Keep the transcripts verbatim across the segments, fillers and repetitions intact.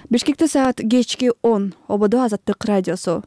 Бишкекте саат кечки он. Ободо Азаттык радиосу.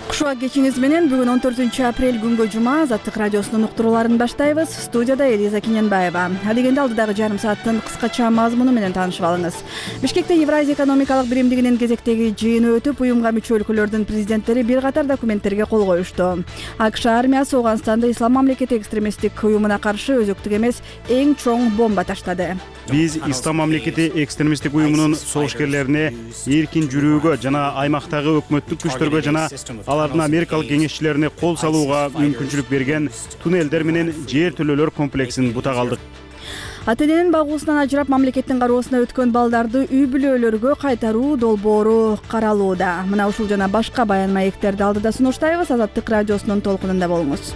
Кушуа кечиңиз менен бүгүн он төртүнчү апрель күнгө жума Азаттык радиосунун уктурууларын баштайбыз. Студияда Элиза Киненбаева. Алегенде алдыдагы жарым сааттын кыскача мазмуну менен таанышып алыңыз. Бишкекте Евразия экономикалык биримдигинин кезектеги жыйыны өтүп, уюмга мүчө өлкөлөрдүн президенттери бир катар документтерге кол коюшту. АКШ армиясы Ооганстанда Ислам мамлекети экстремисттик уюмуна каршы өзөктүк эмес эң чоң бомба таштады. Биз Ислам мамлекети экстремисттик уюмунун согушкерлерине эркин жүрүүгө жана аймактагы өкмөттүк күчтөргө жана алардын америкалык кеңешчилерине кол салууга мүмкүнчүлүк берген туннелдер менен жер төлөөлөр комплексин бутак алдык. Ата эненин багуусунан ажырап мамлекеттин кароосуна өткөн балдарды үй бүлөлөргө кайтаруу долбоору каралууда. Мына ушул жана башка баян маектерди алдыда сунуштайбыз. Азаттык радиосунун толкунунда болуңуз.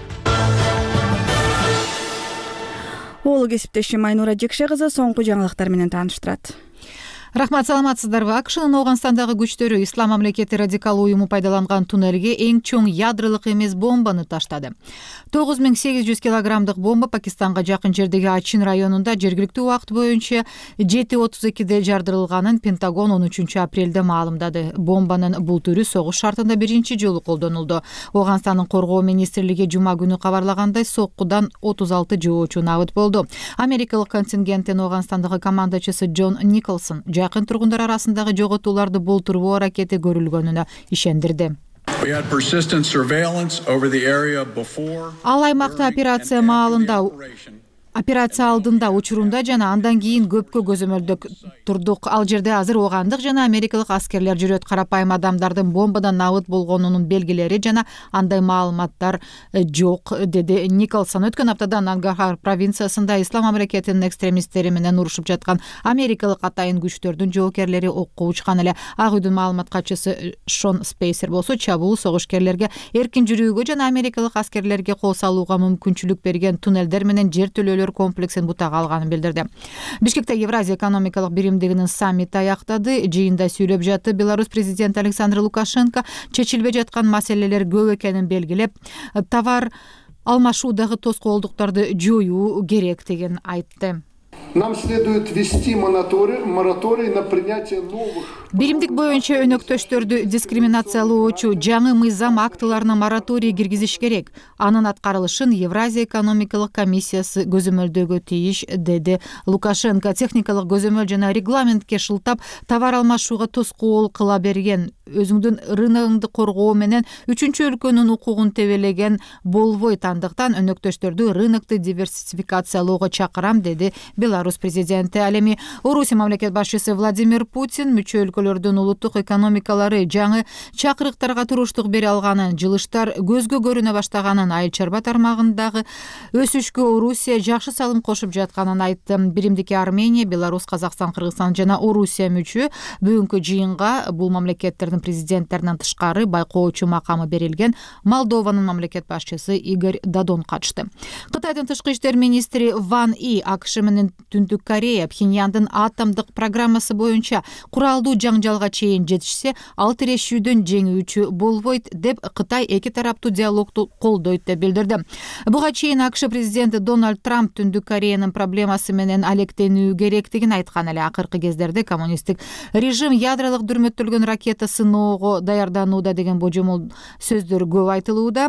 Оолу кесиптешим Айнура Жекше кызы соңку жаңылыктар менен тааныштырат. Рахмат, саламатсыздарбы? АКШнын Ооганстандагы күчтөрү Ислам мамлекети радикал уюму пайдаланган туннелге эң чоң ядролук эмес бомбаны таштады. тогуз миң сегиз жүз килограммдык бомба Пакистанга жакын жердеги Ачин районунда жергиликтүү убакыт боюнча жети отуз экиде жардырылганын Пентагон он үчүнчү апрелде маалымдады. Бомбанын бул түрү согуш шартында биринчи жолу колдонулду. Ооганстандын коргоо министрлиги жума күнү кабарлагандай, соккудан отуз алты жоочу набыт болду. Америкалык контингенттин Ооганстандагы командачысы Джон Николсон жакын тургундар арасындагы жоготууларды болтуруу аракети көрүлгөнүнө ишендирди. Ал аймакта операция маалында Операция алдында, учурунда жана андан кийин көпкө көзөмөлдө турдук. Ал жерде азыр оогандык жана америкалык аскерлер жүрөт. Карапайым адамдардын бомбадан набыт болгонунун белгилери жана андай маалыматтар жок, деди Николсон. Өткөн аптада Нангархар провинциясында Ислам мамлекетинин экстремисттери менен урушуп жаткан америкалык атайын күчтөрдүн жоокерлери окко учкан эле. Ак үйдүн маалымат катчысы Шон Спейсер болсо, чабуул согушкерлерге эркин жүрүүгө жана америкалык аскерлерге кол салууга мүмкүнчүлүк берген туннелдер менен жер төлөөлөр комплексин бутак алганын билдирди. Бишкекте Евразия экономикалык биримдигинин саммити аяктады. Жыйында сүйлөп жатты. Беларусь президенти Александр Лукашенко чечилбей жаткан маселелер көп экенин белгилеп, товар алмашуудагы тоскоолдуктарды жоюу керектигин айтты. Нам следует ввести мораторий на принятие новых. Биримдик боюнча өнөктөштөрдү дискриминациялоочу жаңы мыйзам актыларына мораторий киргизиш керек. Анын аткарылышын Евразия экономикалык комиссиясы көзөмөлдөгө тийиш, деди Лукашенко. Техникалык көзөмөл жана регламентке шылтап товар алмашууга тоскоол кыла берген, өзүңдүн рыногуңду коргоо менен үчүнчү өлкөнүн укугун тебелеген болбойт. Андыктан өнөктөштөрдү рынокты диверсификациялоого чакырам, деди Беларусь президенти. Ал эми Орусия мамлекет башчысы Владимир Путин мүчө өлкөлөрдүн улуттук экономикалары жаңы чакырыктарга туруштук бере алганын, жылыштар көзгө көрүнө баштаганын, айыл чарба тармагындагы өсүшкө Орусия жакшы салым кошуп жатканын айтты. Биримдикке Армения, Беларусь, Казакстан, Кыргызстан жана Орусия мүчө. Бүгүнкү жыйынга бул мамлекеттердин президенттеринен тышкары байкоочу макамы берилген Молдованын мамлекет башчысы Игорь Додон катышты. Кытайдын тышкы иштер министри Ван И АКШ менен Түндүк Корея Пхеньяндын атомдук программасы боюнча куралдуу жаңжалга чейин жетишсе, ал тирешүүдөн жеңүүчү болбойт деп Кытай эки тараптуу диалогду колдойт деп билдирди. Буга чейин АКШ президенти Дональд Трамп Түндүк Кореянын проблемасы менен алектенүү керектигин айткан эле. Акыркы кездерде коммунисттик режим ядролук дүрмөттөлгөн ракета сыноого даярданууда деген божомол сөздөр көп айтылууда.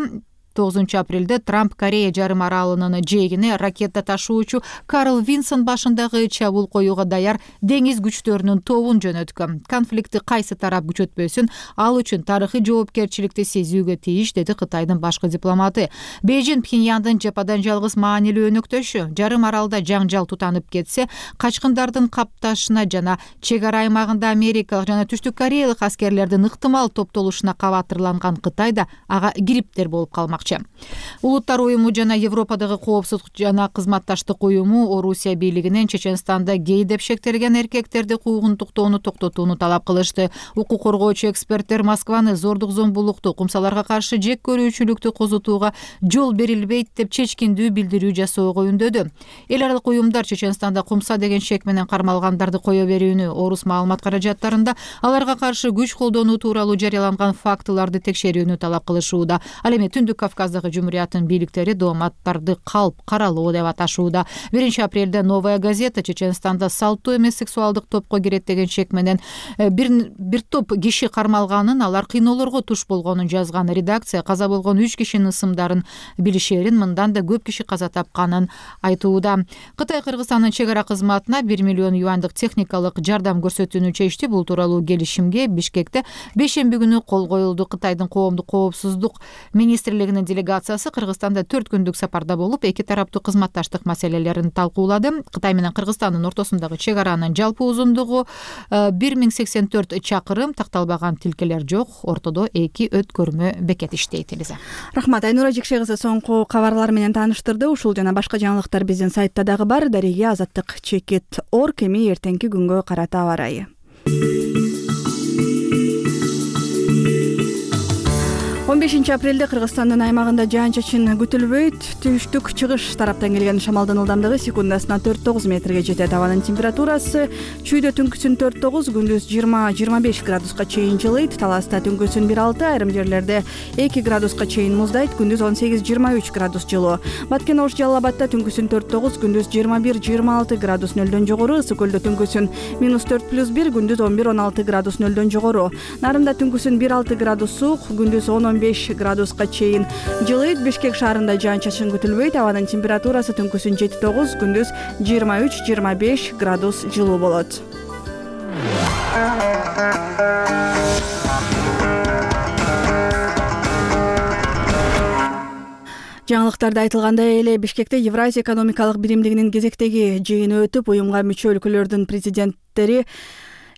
тогузунчу апрелде Трамп Корея жарым аралынын жээгине ракета ташуучу Карл Винсон башындагы чабуул коюуга даяр деңиз күчтөрүнүн тобун жөнөткөн. Конфликти кайсы тарап күчөтпөсүн, ал үчүн тарыхый жоопкерчиликти сезүүгө тийиш, деди Кытайдын башкы дипломаты. Бейжин Пхеньяндын жападан жалгыз маанилүү өнөктөшү. Жарым аралда жаңжал тутанып кетсе, качкындардын капташына жана чек ара аймагында америкалык жана түштүк кореялык аскерлердин ыктымал топтолушуна кабатырланган Кытайда ага кириптер болуп калмак. Улуттар уюму жана Европадагы коопсуздук жана кызматташтык уюму Орусия бийлигинен Чеченстанда гей деп шектелген эркектерди куугунтуктоону токтотууну талап кылышты. Укук коргоочу эксперттер Москваны зордук зомбулукту, кумсаларга каршы жек көрүүчүлүктү козутууга жол берилбейт деп чечкиндүү билдирүү жасоого үндөдү. Эл аралык уюмдар Чеченстанда кумса деген шек менен кармалгандарды кое берүүнү, орус маалымат каражаттарында аларга каршы күч колдонуу тууралуу жарыяланган фактыларды текшерүүнү талап кылышууда. Ал эми Түндүк Кавказдагы жумурияттын бийликтери дооматтарды калп каралуу деп аташууда. биринчи апрелде Новая газета Чеченстанда салттуу эмес сексуалдык топко кирет деген чек менен бир бир топ киши кармалганын, алар кыйноолорго туш болгонун жазган. Редакция каза болгон үч кишинин ысымдарын билишерин, мындан да көп киши каза тапканын айтууда. Кытай Кыргызстандын чек ара кызматына бир миллион юандык техникалык жардам көрсөтүүнү чечти. Бул тууралуу келишимге Бишкекте бейшемби күнү кол коюлду. Кытайдын коомдук коопсуздук министрлигинин делегациясы Кыргызстанда төрт күндүк сапарда болуп, эки тараптуу кызматташтык маселелерин талкуулады. Кытай менен Кыргызстандын ортосундагы чек аранын жалпы узундугу бир миң сексен төрт чакырым, такталбаган тилкелер жок. Ортодо эки өткөрмө бекет иштейт. Элиза. Рахмат. Айнура Жекше кызы соңку кабарлар менен тааныштырды. Ушул жана башка жаңылыктар биздин сайтта дагы бар. Дареге Азаттык чекит орг. Эми эртеңки күнгө карата аба ырайы. он бешинчи апрелде Кыргызстандын аймагында жаан-чачын күтүлбөйт. Түштүк чыгыш тараптан келген шамалдын ылдамдыгы секундасына төрт тогуз метрге жетет. Абанын температурасы чүйдө түнкүсүн төрт тогуз, күндүз жыйырма жыйырма беш градуска чейин жылыйт. Таласта түнкүсүн бир алты, айрым жерлерде эки градуска чейин муздайт. Күндүз он сегиз жыйырма үч градус жылуу. Баткен Ош Жалал Абадта түнкүсүн төрт тогуз, күндүз жыйырма бир жыйырма алты градус нөлдөн жогору. Ысык Көлдө түнкүсүн минус төрт плюс бир, күндүз он бир он алты градус нөлдөн жогору. Нарында түнкүсүн бир алты градус суук, күндүз он он беш градуска чейин жылыйт. Бишкек шаарында жаан-чачын күтүлбөйт. Абанын температурасы түнкүсүн жети тогуз, күндүз жыйырма үч жыйырма беш градус жылуу болот. Жаңылыктарда айтылгандай эле Бишкекте Евразия экономикалык биримдигинин кезектеги жыйыны өтүп, уюмга мүчө өлкөлөрдүн президенттери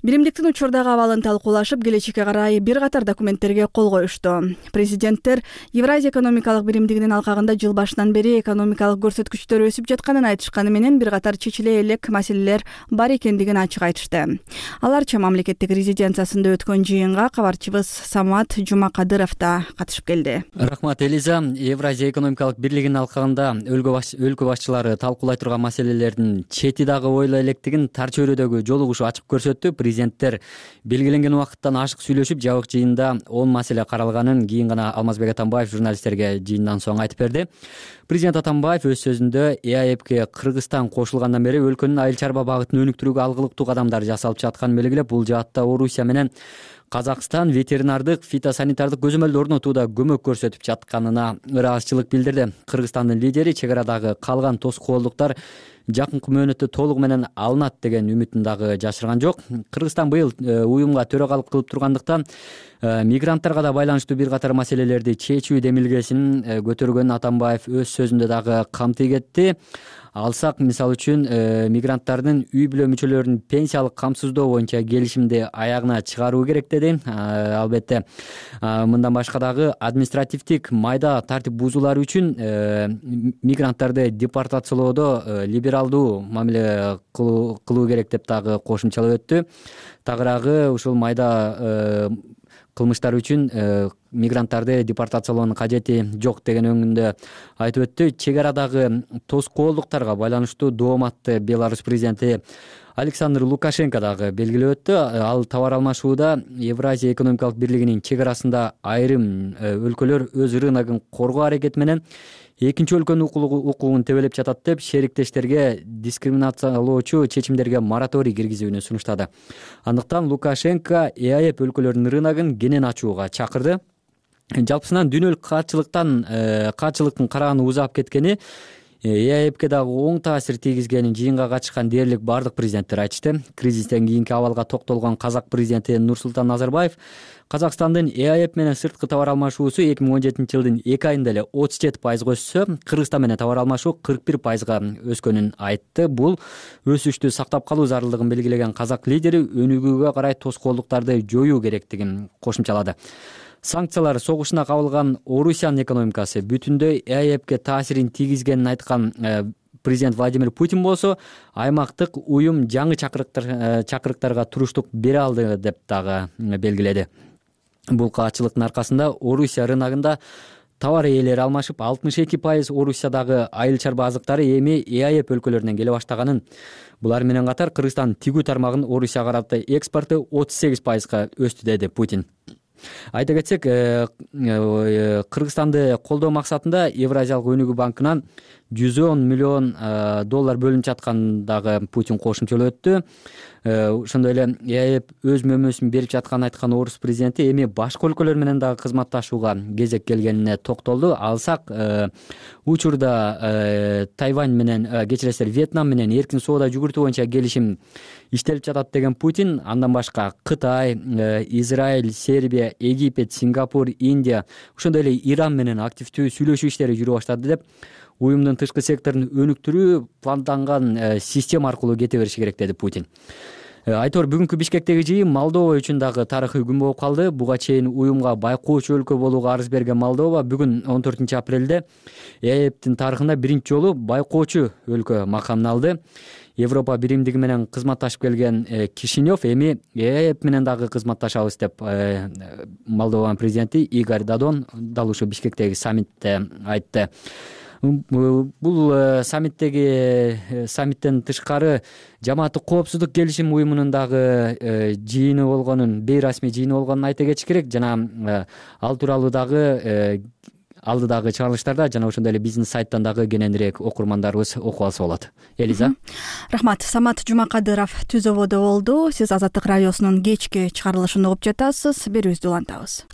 биримдиктин учурдагы абалын талкуулашып, келечекке карай бир катар документтерге кол коюшту. Президенттер Евразия экономикалык биримдигинин алкагында жыл башынан бери экономикалык көрсөткүчтөр өсүп жатканын айтышканы менен бир катар чечиле элек маселелер бар экендигин ачык айтышты. Аларча мамлекеттик резиденциясында өткөн жыйынга кабарчыбыз Самат Жумакадыров да катышып келди. Рахмат, Элиза. Евразия экономикалык бирлигинин алкагында өлкө башчылары талкуулай турган маселелердин чети дагы ойла электигин тар чөйрөдөгү жолугушу ачык көрсөттү. Президенттер белгиленген убакыттан ашык сүйлөшүп, жабык жыйында он маселе каралганын кийин гана Алмазбек Атамбаев журналисттерге жыйындан соң айтып берди. Президент Атамбаев өз сөзүндө Э А Эпке Кыргызстан кошулгандан бери өлкөнүн айыл чарба багытын өнүктүрүүгө алгылыктуу кадамдар жасалып жатканын белгилеп, бул жаатта Орусия менен Казакстан ветеринардык, фитосанитардык көзөмөлдү орнотууда көмөк көрсөтүп жатканына ыраазычылык билдирди. Кыргызстандын лидери чек арадагы калган тоскоолдуктар жакынкы мөөнөттө толугу менен алынат деген үмүтүн дагы жашырган жок. Кыргызстан быйыл уюмга төрагалык кылып тургандыктан мигранттарга да байланыштуу бир катар маселелерди чечүү демилгесин көтөргөнүн Атамбаев өз сөзүндө дагы камтый кетти. Алсак, мисалы үчүн, мигранттардын үй бүлө мүчөлөрүнүн пенсиялык камсыздоо боюнча келишимди аягына чыгаруу керек деди. Албетте, мындан башка дагы административдик майда тартип бузуулар үчүн мигранттарды депортациялоодо либералдуу мамиле кылуу керек деп дагы кошумчалап өттү. Тагыраагы ушул майда кылмыштар үчүн мигранттарды депортациялоонун кажети жок деген өңүндө айтып өттү. Чек арадагы тоскоолдуктарга байланыштуу дооматты Беларусь президенти Александр Лукашенко дагы белгилеп өттү. Ал товар алмашууда Евразия экономикалык бирлигинин чек арасында айрым өлкөлөр өз рыногун коргоо аракети менен экинчи өлкөнүн укугун тебелеп жатат деп шериктештерге дискриминациялоочу чечимдерге мораторий киргизүүнү сунуштады. Андыктан Лукашенко Э А Эп өлкөлөрүнүн рыногун кенен ачууга чакырды. Жалпысынан дүйнөлүк каатчылыктан каатчылыктын карааны узап кеткени, Э А Эпке дагы оң таасир тийгизгенин жыйынга катышкан дээрлик бардык президенттер айтышты. Кризистен кийинки абалга токтолгон казак президенти Нурсултан Назарбаев Казакстандын Э А Эп менен сырткы товар алмашуусу эки миң он жетинчи жылдын эки айында эле отуз жети пайызга өссө, Кыргызстан менен товар алмашуу кырк бир пайызга өскөнүн айтты. Бул өсүштү сактап калуу зарылдыгын белгилеген казак лидери өнүгүүгө карай тоскоолдуктарды жоюу керектигин кошумчалады. Санкциялар согушуна кабылган Орусиянын экономикасы бүтүндөй Э А Эпке таасирин тийгизгенин айткан президент Владимир Путин болсо, аймактык уюм жаңы чакырыктар чакырыктарга туруштук бере алды деп дагы белгиледи. Бул каатчылыктын аркасында Орусия рыногунда товар ээлери алмашып, алтымыш эки пайыз Орусиядагы айыл чарба азыктары эми Э А Эп өлкөлөрүнөн келе баштаганын, булар менен катар Кыргызстан тигүү тармагынын Орусияга карата экспорту отуз сегиз пайызга өстү деди Путин. Айта кетсек, Кыргызстанды колдоо максатында Евразиялык өнүгүү банкынан жүз он миллион доллар бөлүнүп жатканын дагы Путин кошумчалап өттү. Ошондой эле ЭАЭБ өз мөмөсүн берип жатканын айткан орус президенти эми башка өлкөлөр менен дагы кызматташууга кезек келгенине токтолду. Алсак, учурда Тайвань менен, кечиресиздер, Вьетнам менен эркин соода жүгүртүү боюнча келишим иштелип жатат деген Путин, андан башка Кытай, Израиль, Сербия, Египет, Сингапур, Индия, ошондой эле Иран менен активдүү сүйлөшүү иштери жүрүп баштады деп, уюмдун тышкы секторун өнүктүрүү планданган система аркылуу кете бериши керек, деди Путин. Айтор, бүгүнкү Бишкектеги жыйын Молдова үчүн дагы тарыхый күн болуп калды. Буга чейин уюмга байкоочу өлкө болууга арыз берген Молдова бүгүн он төртүнчү апрелде ЭАЭБтин тарыхында биринчи жолу байкоочу өлкө макамын алды. Европа биримдиги менен кызматташып келген Кишинев эми ЭАЭБ менен дагы кызматташабыз деп Молдованын президенти Игорь Додон дал ушул Бишкектеги саммитте айтты. Бул саммиттеги саммиттен тышкары жамааттык коопсуздук келишим уюмунун дагы жыйыны болгонун, бейрасмий жыйыны болгонун айта кетиш керек. Жана ал тууралуу дагы алдыдагы чыгарылыштарда жана ошондой эле бизнес сайттан дагы кененирээк окурмандарыбыз окуп алса болот. Элиза. Рахмат. Самат Жумакадыров түз ободо болду. Сиз Азаттык радиосунун кечки чыгарылышын угуп жатасыз. Берүүбүздү улантабыз.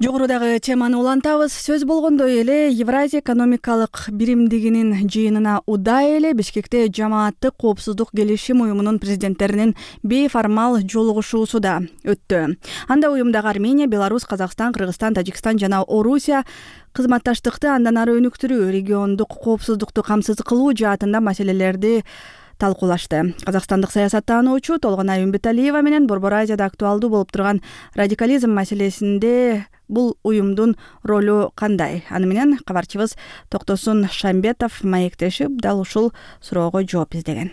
Жогорудагы теманы улантабыз. Сөз болгондой эле Евразия экономикалык биримдигинин жыйынына удай эле Бишкекте жамааттык коопсуздук келишим уюмунун президенттеринин бейформал жолугушуусу да өттү. Анда уюмдагы Армения, Беларусь, Казакстан, Кыргызстан, Тажикстан жана Орусия кызматташтыкты андан ары өнүктүрүү, региондук коопсуздукту камсыз кылуу жаатында маселелерди талкуулашты. Казакстандык саясаттануучу Толгонай Үмбеталиева менен Борбор Азияда актуалдуу болуп турган радикализм маселесинде бул уюмдун ролу кандай? Аны менен кабарчыбыз Токтосун Шамбетов маектешип дал ушул суроого жооп издеген.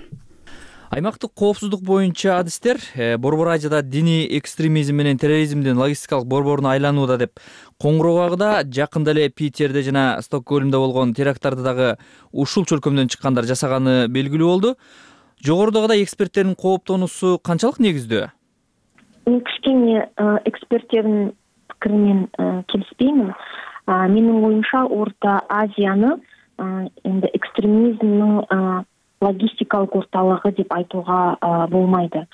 Аймактык коопсуздук боюнча адистер Борбор Азияда диний экстремизм менен терроризмдин логистикалык борборуна айланууда деп коңгуроо кагда, жакында эле Питерде жана Стокгольмдо болгон теракттарды дагы ушул чөлкөмдөн чыккандар жасаганы белгилүү болду. Жогорудагыдай эксперттердин кооптонуусу канчалык негиздүү? Кичине эксперттердин пикиримен келиспеймин. Менин оюмча Орто Азияны энди экстремизмдин логистикалык орталыгы деп айтууга болмайды.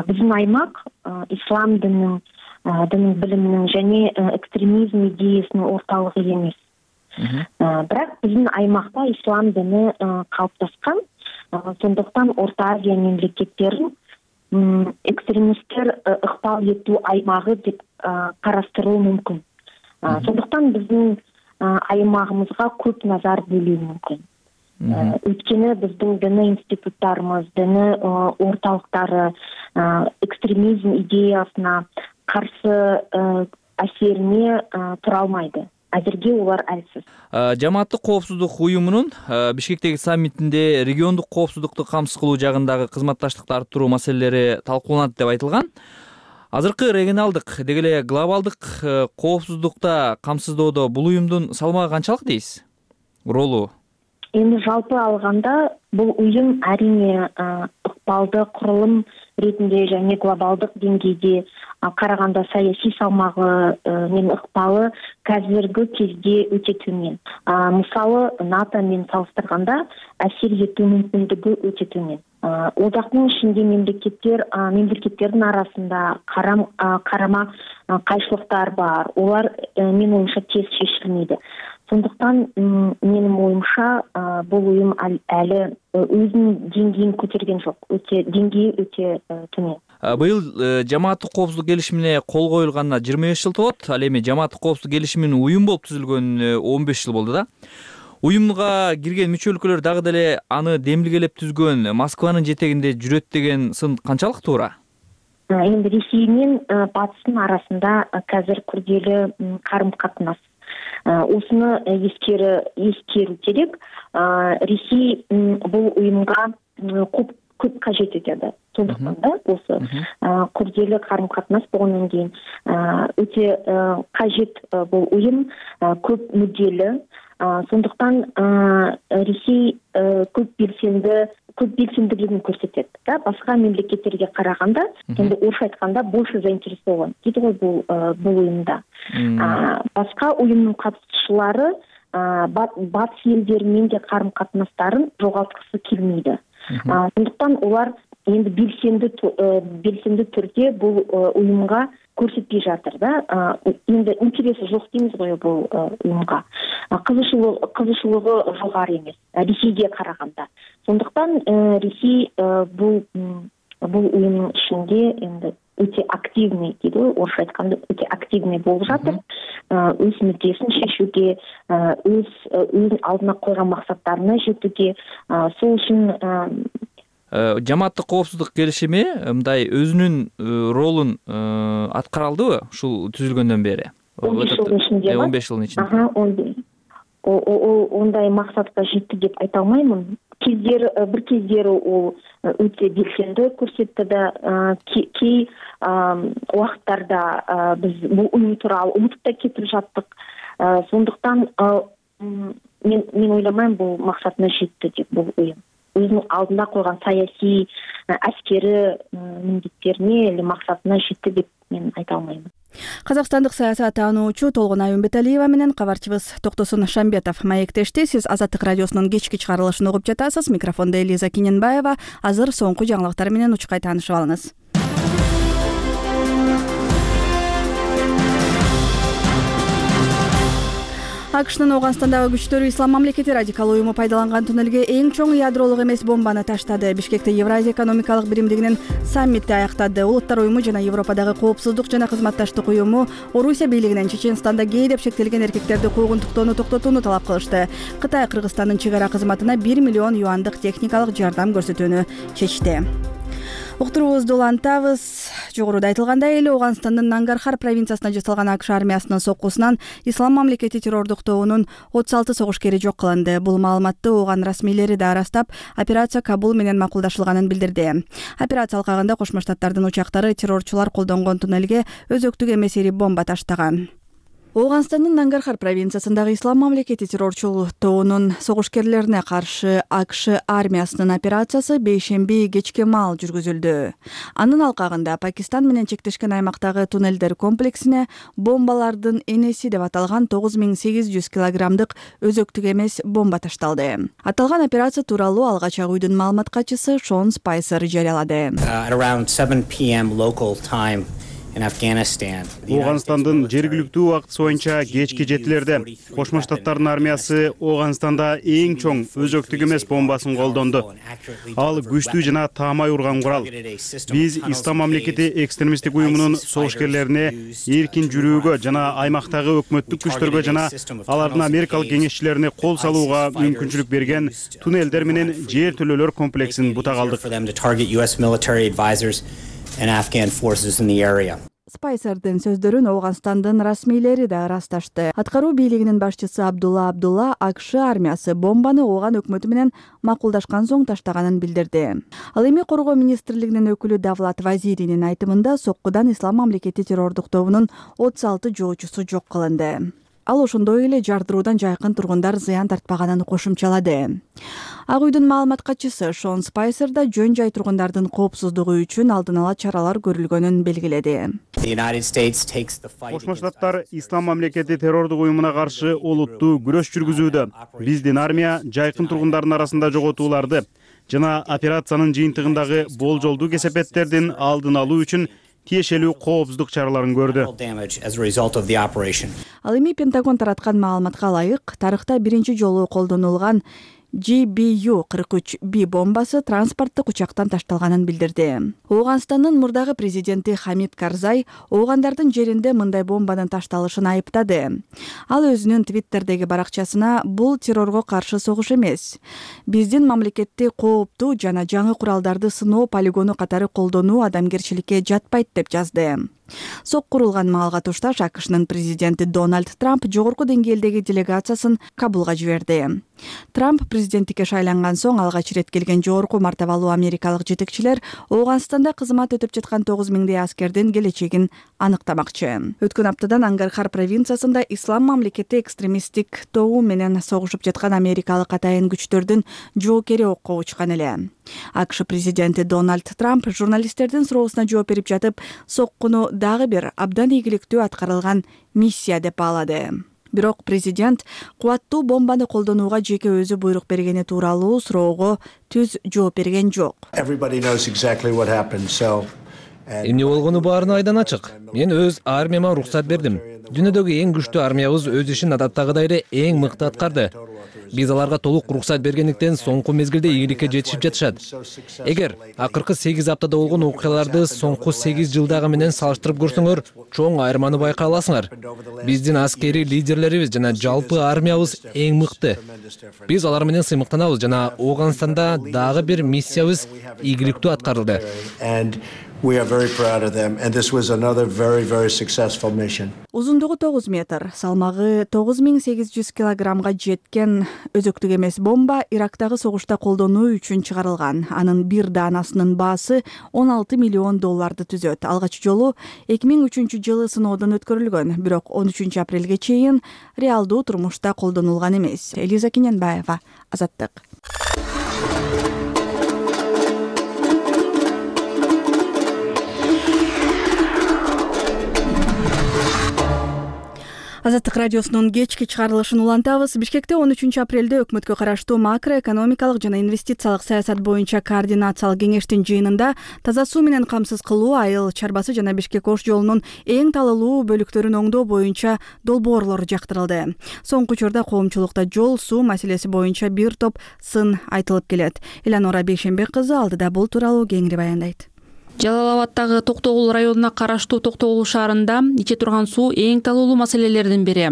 Биздин аймак ислам динин, дин билиминин және экстремизм идеясынын орталыгы эмес. Бирок биздин аймакта ислам дини калыптаскан. Сондуктан Орто Азия мемлекеттерин экстремисттер ыкпал этүү аймагы деп караштыруу мүмкүн. Сондуктан биздин аймагыбызга көп назар бөлүү мүмкүн. Өйткені біздің діні институттарымыз, діні орталықтары экстремизм идеясына қарсы әсеріне тұра алмайды. Әзірге олар әлсіз. Жамааттык коопсуздук уюмунун Бишкектеги саммитинде региондук коопсуздукту камсыз кылуу жагындагы кызматташтыкты арттыруу маселелери талкууланат деп айтылган. Азыркы регионалдык деги эле глобалдык коопсуздукта камсыздоодо бул уюмдун салмагы канчалык дейсиз? Ролу? Эми жалпы алганда бул уюм арине ыкпалды курулум ретинде және глобалдык деңгейде караганда саясий салмагы менен ыкпалы қазіргі кезде өте төмен. Мисалы НАТО менен салыштырганда әсер этүү мүмкүндүгү өте төмен. Одактын ичинде мемлекеттер мемлекеттердин арасында карам карама кайшылыктар бар. Олар менин оюмча тез чечилмейди. Сондуктан менин оюмча бул уюм әлі өзүнүн деңгейин көтөргөн жок. Өтө деңгээи өтө төмен. Быйыл жамааттык коопсуздук келишимине кол коюлганына жыйырма беш жыл толот. Ал эми жамааттык коопсуздук келишиминин уюм болуп түзүлгөнүнө он беш жыл болду да. Уюмга кирген мүчө өлкөлөр дагы деле аны демилгелеп түзгөн, Москванын жетегинде жүрөт деген сын канчалык туура? Эми Ресей менен Батыстын арасында қазір күрделүү карым-катнаш. Осыны ескері ескеру керек. Ресей бұл ұйымға көп көп қажет етеді. Сондықтан да осы күрделі қарым-қатынас болғаннан кейін өте қажет бұл ұйым, көп мүдделі, Сондуктан Ресей көп белсенди көп белсендүүлүгүн көрсөтөт да, башка мемлекеттерге караганда. Эми орусча айтканда больше заинтересован дейт го бул бул уюмда. Башка уюмдун катышчылары батыш элдери менен де карым катнаштарын жоготкусу келмейди. Сондуктан олар эми белсенди белсенди түрдө бул уюмга көрсөтпөй жатыр да. Эми интереси жок деймиз го бул уюмга. Кызышуулугу кызышуулугу жогору эмес Ресейге караганда. Сондуктан Ресей бул бул уюмдун ишинде эми өтө активный дейт го, орусча айтканда өтө активный болуп жатыр. Өз мүддесин шешүүгө, өз өзүнүн алдына койгон максаттарына жетүүгө, сол үчүн жамааттык коопсуздук келишими мындай өзүнүн ролун аткара алдыбы ушул түзүлгөндөн бери? он беш жылдын ичинде. он беш жылдын ичинде. Ондай максатка жетти деп айта алмаймын. Кездери бир кездери ол өтө белсенди көрсөттү да, кей убакыттарда биз бул уюм тууралуу унутуп да кетип жаттык. Сондуктан мен мен ойламайм бул максатына жетти деп бул уюм. Өзүнүн алдына койгон саясий, аскери милдеттерине эле максатына жетти деп мен айта алмаймын. Казакстандык саясат таануучу Толгонай Умбеталиева менен кабарчыбыз Токтосун Шамбетов маектешти. Сиз Азаттык радиосунун кечки чыгарылышын угуп жатасыз. Микрофондо Элиза Киненбаева. Азыр соңку жаңылыктар менен учкай таанышып алыңыз. АКШнын Ооганстандагы күчтөрү Ислам мамлекети радикал уюму пайдаланган туннелге эң чоң ядролук эмес бомбаны таштады. Бишкекте Евразия экономикалык биримдигинин саммити аяктады. Улуттар уюму жана Европадагы коопсуздук жана кызматташтык уюму Орусия бийлигинен Чеченстанда гей деп шектелген эркектерди куугунтуктоону токтотууну талап кылышты. Кытай Кыргызстандын чек ара кызматына бир миллион юандык техникалык жардам көрсөтүүнү чечти. Уктуруубузду улантабыз. Жогоруда айтылгандай эле Ооганстандын Нангархар провинциясына жасалган АКШ армиясынын соккусунан Ислам мамлекети террордук тобунун отуз алты согушкери жок кылынды. Бул маалыматты Ооган расмийлери да ырастап, операция Кабул менен макулдашылганын билдирди. Операция алкагында Кошмо Штаттардын учактары террорчулар колдонгон туннелге өзөктүк эмес ири бомба таштаган. Ооганстандын Нангархар провинциясындагы Ислам мамлекети террорчул тобунун согушкерлерине каршы АКШ армиясынын операциясы бейшемби кечке маал жүргүзүлдү. Анын алкагында Пакистан менен чектешкен аймактагы туннелдер комплексине бомбалардын энеси деп аталган тогуз миң сегиз жүз килограммдык өзөктүк эмес бомба ташталды. Аталган операция тууралуу алгач Ак үйдүн маалымат катчысы Шон Спайсер жарыялады. Ооганстандын жергиликтүү убакыт боюнча кечки жетилерде Кошмо Штаттардын армиясы Ооганстанда эң чоң өзөктүк эмес бомбасын колдонду. Ал күчтүү жана таамай урган курал. Биз Ислам мамлекети экстремисттик уюмунун согушкерлерине эркин жүрүүгө жана аймактагы өкмөттүк күчтөргө жана алардын америкалык кеңешчилерине кол салууга мүмкүнчүлүк берген туннелдер менен жер төлөлөр комплексин бута калдык. Спайсердин сөздөрүн Ооганстандын расмийлери да ырасташты. Аткаруу бийлигинин башчысы Абдулла Абдулла АКШ армиясы бомбаны Ооган өкмөтү менен макулдашкан соң таштаганын билдирди. Ал эми коргоо министрлигинин өкүлү Давлат Вазиринин айтымында соккудан Ислам мамлекети террордук тобунун отуз алты жоочусу жок кылынды. Ал ошондой эле жардыруудан жайкын тургундар зыян тартпаганын кошумчалады. Ак үйдүн маалымат катчысы Шон Спайсер да жөн жай тургундардын коопсуздугу үчүн алдын ала чаралар көрүлгөнүн белгиледи. Кошмо Штаттар Ислам мамлекети террордук уюмуна каршы олуттуу күрөш жүргүзүүдө. Биздин армия жайкын тургундардын арасында жоготууларды жана операциянын жыйынтыгындагы болжолдуу кесепеттердин алдын алуу үчүн тиешелүү коопсуздук чараларын көрдү. Ал эми Пентагон тараткан маалыматка ылайык, тарыхта биринчи жолу колдонулган Джи Би Ю кырк үч Б бомбасы транспорттук учактан ташталганын билдирди. Ооганстандын мурдагы президенти Хамид Карзай оогандардын жеринде мындай бомбанын ташталышын айыптады. Ал өзүнүн Твиттердеги баракчасына бул террорго каршы согуш эмес, биздин мамлекетти кооптуу жана жаңы куралдарды сыноо полигону катары колдонуу адамгерчиликке жатпайт деп жазды. Сок курулган маалга тушташ АКШнын президенти Дональд Трамп жогорку деңгээлдеги делегациясын Кабулга жиберди. Трамп президенттикке шайланган соң алгач ирет келген жогорку мартабалуу америкалык жетекчилер Ооганстанда кызмат өтөп жаткан тогуз миңдей аскердин келечегин аныктамакчы. Өткөн аптадан Ангархар провинциясында ислам мамлекети экстремисттик тобу менен согушуп жаткан америкалык атайын күчтөрдүн жоокери окко учкан эле. АКШ президенти Дональд Трамп журналисттердин суроосуна жооп берип жатып, соккуну дагы бир абдан ийгиликтүү аткарылган миссия деп баалады. Бирок президент кубаттуу бомбаны колдонууга жеке өзү буйрук бергени тууралуу суроого түз жооп берген жок. Эмне болгону баарына айдан ачык. Мен өз армияма уруксат бердим. Дүйнөдөгү эң күчтүү армиябыз өз ишин адаттагыдай эле эң мыкты аткарды. Биз аларга толук уруксат бергендиктен соңку мезгилде ийгиликке жетишип жатышат. Эгер акыркы сегиз аптада болгон окуяларды соңку сегиз жылдагы менен салыштырып көрсөңөр, чоң айырманы байкай аласыңар. Биздин аскери лидерлерибиз жана жалпы армиябыз эң мыкты. Биз алар менен сыймыктанабыз жана Ооганстанда дагы бир миссиябыз ийгиликтүү аткарылды. We are very proud of them, and this was another very, very successful mission. Узундугу тогуз метр, салмагы тогуз миң сегиз жүз килограммга жеткен өзөктүк эмес бомба Ирактагы согушта колдонуу үчүн чыгарылган. Анын бир даанасынын баасы он алты миллион долларды түзөт. Алгач жолу эки миң үчүнчү жылы сыноодон өткөрүлгөн, бирок он үчүнчү апрелге чейин реалдуу турмушта колдонулган эмес. Элиза Киненбаева, Азаттык. Азаттык радиосунун кечки чыгарылышын улантабыз. Бишкекте он үчүнчү апрелде өкмөткө караштуу макроэкономикалык жана инвестициялык саясат боюнча координациялык кеңештин жыйынында таза суу менен камсыз кылуу, айыл чарбасы жана Бишкек Ош жолунун эң талалуу бөлүктөрүн оңдоо боюнча долбоорлор жактырылды. Соңку учурда коомчулукта жол суу маселеси боюнча бир топ сын айтылып келет. Эланора Бейшембек кызы алдыда бул тууралуу кеңири баяндайт. Жалал Абадтагы Токтогул районуна караштуу Токтогул шаарында иче турган суу эң талуулуу маселелердин бири.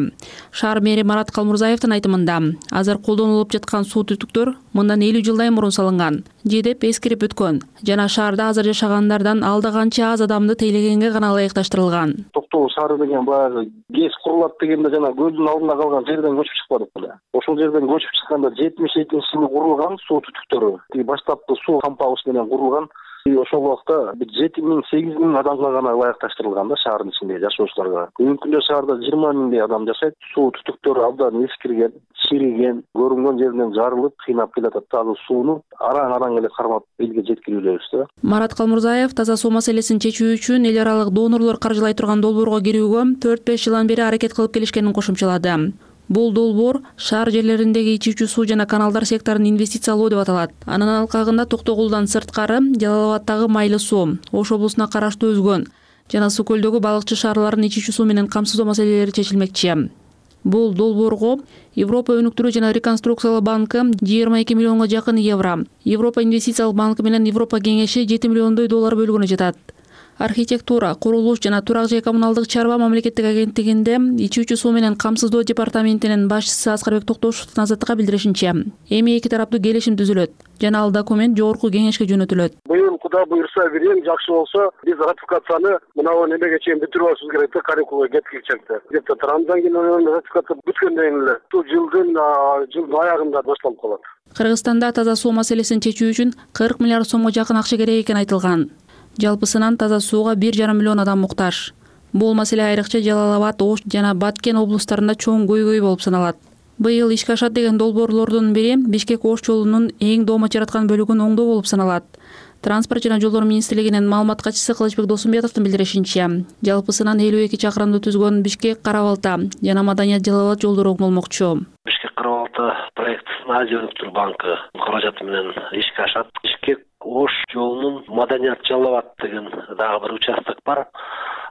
Шаар мэри Марат Калмурзаевдин айтымында, азыр колдонулуп жаткан суу түтүктөр мындан элүү жылдай мурун салынган же деп эскирип өткөн жана шаарда азыр жашагандардан алда канча аз адамды тейлегенге гана ылайыкташтырылган. Токтогул шаары деген баягы ГЭС курулат дегенде жана көлдүн алдында калган жерден көчүп чыкпадык беле. Ошол жерден көчүп чыкканда жетимиш экинчи жылы курулган суу түтүктөрү. Тиги баштапкы суу кампагыч менен курулган. Ошол убакта жети миң сегиз миң адамга гана ылайыкташтырылган да шаардын ичинде жашоочуларга. Бүгүнкү күндө шаарда жыйырма миңдей адам жашайт. Суу түтүктөрү абдан эскирген, чириген, көрүнгөн жеринен жарылып, кыйнап келатат. Таза сууну араң-араң эле кармап элге жеткирүүлөбүз да. Марат Калмурзаев таза суу маселесин чечүү үчүн эл аралык донорлор каржылай турган долбоорго кирүүгө төрт беш жылдан бери аракет кылып келишкенин кошумчалады. Бул долбоор шаар жерлериндеги ичүүчү суу жана каналдар секторун инвестициялоо деп аталат. Анын алкагында Токтогулдан сырткары Жалал Абадтагы Майлы суу, Ош облусуна караштуу Өзгөн жана Суу көлдөгү балыкчы шаарларын ичүүчү суу менен камсыздоо маселелери чечилмекчи. Бул долбоорго Европа өнүктүрүү жана реконструкциялоо банкы жыйырма эки миллионго жакын евро, Европа инвестициялык банкы менен Европа кеңеши жети миллиондой доллар бөлгөнү жатат. Архитектура, курулуш жана турак жай коммуналдык чарба мамлекеттик агенттигинде ичүүчү суу менен камсыздоо департаментинин башчысы Аскарбек Токтошевдун Азаттыкка билдиришинче, эми эки тараптуу келишим түзүлөт жана ал документ жогорку кеңешке жөнөтүлөт. Быйыл Кудай буйрса берем, жакшы болсо, биз ратификацияны мынау немеге чейин бүтүрүп алышыбыз керек да, каникулга кеткичекте. Где-то Рамзан кийин ратификация бүткөндөн эле бул жылдын жылдын аягында башталып калат. Кыргызстанда таза суу маселесин чечүү үчүн кырк миллиард сомго жакын акча керек экени айтылган. Жалпысынан таза сууга бир жарым миллион адам муктаж. Бул маселе айрыкча Жалал Абад, Ош жана Баткен облустарында чоң көйгөй болуп саналат. Быйыл ишке ашат деген долбоорлордун бири Бишкек Ош жолунун эң доомат жараткан бөлүгүн оңдоо болуп саналат. Транспорт жана жолдор министрлигинин маалымат катчысы Кылычбек Досумбетовдун билдиришинче, жалпысынан элүү эки чакырымды түзгөн Бишкек Карабалта жана Маданият Жалал Абад жолдору оңдолмокчу. Бишкек Карабалта проектисин Азия өнүктүрүү банкы каражаты менен ишке ашат. Бишкек Ош жолунун Маданият Жалал Абад деген дагы бир участок бар.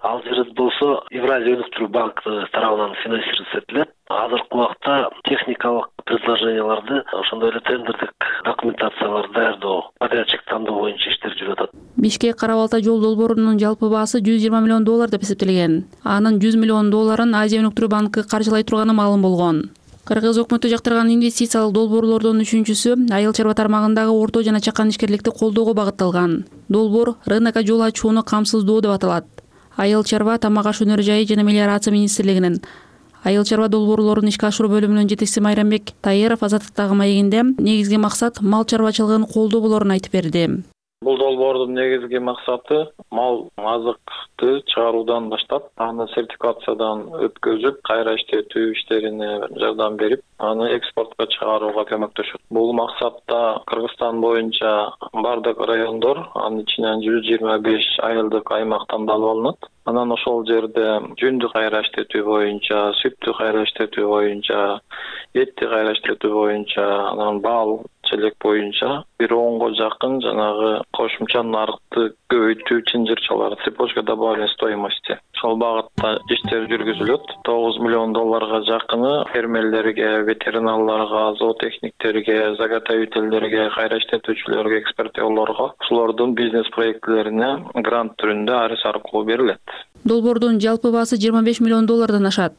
Ал жер болсо Евразия өнүктүрүү банкы тарабынан финансироваться этилет. Азыркы убакта техникалык предложенияларды, ошондой эле тендердик документацияларды даярдоо, подрядчик тандоо боюнча иштер жүрүп атат. Бишкек Карабалта жол долбоорунун жалпы баасы жүз жыйырма миллион доллар деп эсептелген. Анын жүз миллион долларын Азия өнүктүрүү банкы каржылай турганы маалым болгон. Кыргыз өкмөтү жактырган инвестициялык долбоорлордун үчүнчүсү айыл чарба тармагындагы орто жана чакан ишкерликти колдоого багытталган. Долбоор рынокко жол ачууну камсыздоо деп аталат. Айыл чарба, тамак аш өнөр жайы жана мелиорация министрлигинин айыл чарба долбоорлорун ишке ашыруу бөлүмүнүн жетекчиси Майрамбек Таиров Азаттыктагы маегинде негизги максат мал чарбачылыгын колдоо болоорун айтып берди. Бул долбоордун негизги максаты мал азыкты чыгаруудан баштап, аны сертификациядан өткөзүп, кайра иштетүү иштерине жардам берип, аны экспортко чыгарууга көмөктөшөт. Бул максатта Кыргызстан боюнча бардык райондор, анын ичинен жүз жыйырма беш айылдык аймак тандалып алынат. Анан ошол жерде жүндү кайра иштетүү боюнча, сүттү кайра иштетүү боюнча, этти кайра иштетүү боюнча, анан бал челек боюнча бир онго жакын жанагы кошумча нарыкты көбөйтүү чынжырчалар, цепочка добавленной стоимости. Ошол багытта иштер жүргүзүлөт. тогуз миллион долларга жакыны фермерлерге, ветеринарларга, зоотехниктерге, заготовительдерге, кайра иштетүүчүлөргө, экспортерлорго, ошолордун бизнес проектилерине грант түрүндө арыз аркылуу берилет. Долбоордун жалпы баасы жыйырма беш миллион доллардан ашат.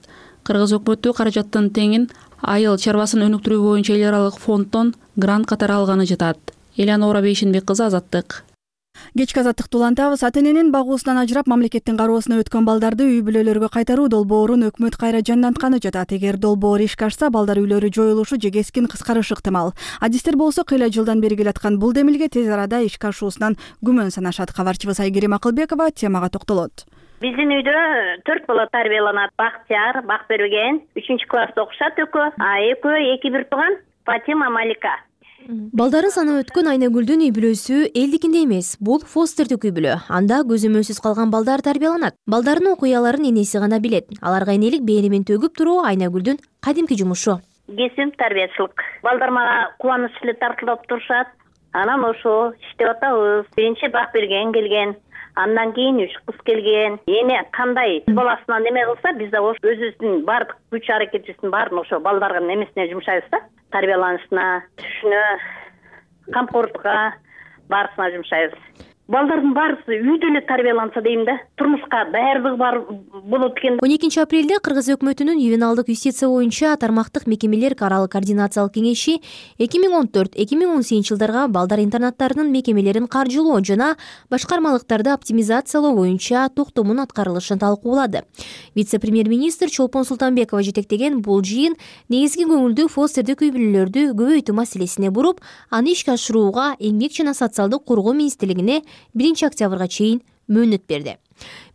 Кыргыз өкмөтү каражаттын теңин айыл чарбасын өнүктүрүү боюнча эл аралык фонддон грант катары алганы жатат. Элянора Бейшенбек кызы, Азаттык. Кечки азаттыкты улантабыз. Ата эненин багуусунан ажырап мамлекеттин кароосуна өткөн балдарды үй бүлөлөргө кайтаруу долбоорун өкмөт кайра жандантканы жатат. Эгер долбоор ишке ашса, балдар үйлөрү жоюлушу же кескин кыскарышы ыктымал. Адистер болсо кыйла жылдан бери келаткан бул демилге тез арада ишке ашуусунан күмөн санашат. Кабарчыбыз Айгерим Акылбекова темага токтолот. Биздин үйдө төрт бала тарбияланат. Бактияр, Бакберген, үчүнчү класста окушат экөө, а экөө эки бир тууган Фатима, Малика. Балдарын санап өткөн Айнагүлдүн үй бүлөсү элдикинде эмес. Бул фостердик үй бүлө. Анда көзөмөлсүз калган балдар тарбияланат. Балдардын окуяларын энеси гана билет. Аларга энелик беримин төгүп туруу Айнагүлдүн кадимки жумушу. Кесим тарбиячылык. Балдар мага кубаныч эле тартылып турушат. Анан ошо иштеп атабыз. Биринчи Бакберген келген. Андан кийин үч кыз келген. Эне кандай баласынан неме кылса, биз да ошо өзүбүздүн бардык күч аракетибиздин баарын ошо балдардын эмесине жумшайбыз да. Тарбияланышына, түшүнө, камкордукка баарысына жумшайбыз. Балдардын баарысы үйдө эле тарбияланса дейм да, турмушка даярдыгы бар болот экен. он экинчи апрелде Кыргыз өкмөтүнүн ювеналдык юстиция боюнча тармактык мекемелер аралык координациялык кеңеши эки миң он төрт эки миң он сегизинчи жылдарга балдар интернаттарынын мекемелерин каржылоо жана башкармалыктарды оптимизациялоо боюнча токтомун аткарылышын талкуулады. Вице-премьер-министр Чолпон Султанбекова жетектеген бул жыйын негизги көңүлдүү фостердик үй бүлөлөрдү көбөйтүү маселесине буруп, аны ишке ашырууга Эмгек жана социалдык коргоо министрлигине биринчи октябрга чейин мөөнөт берди.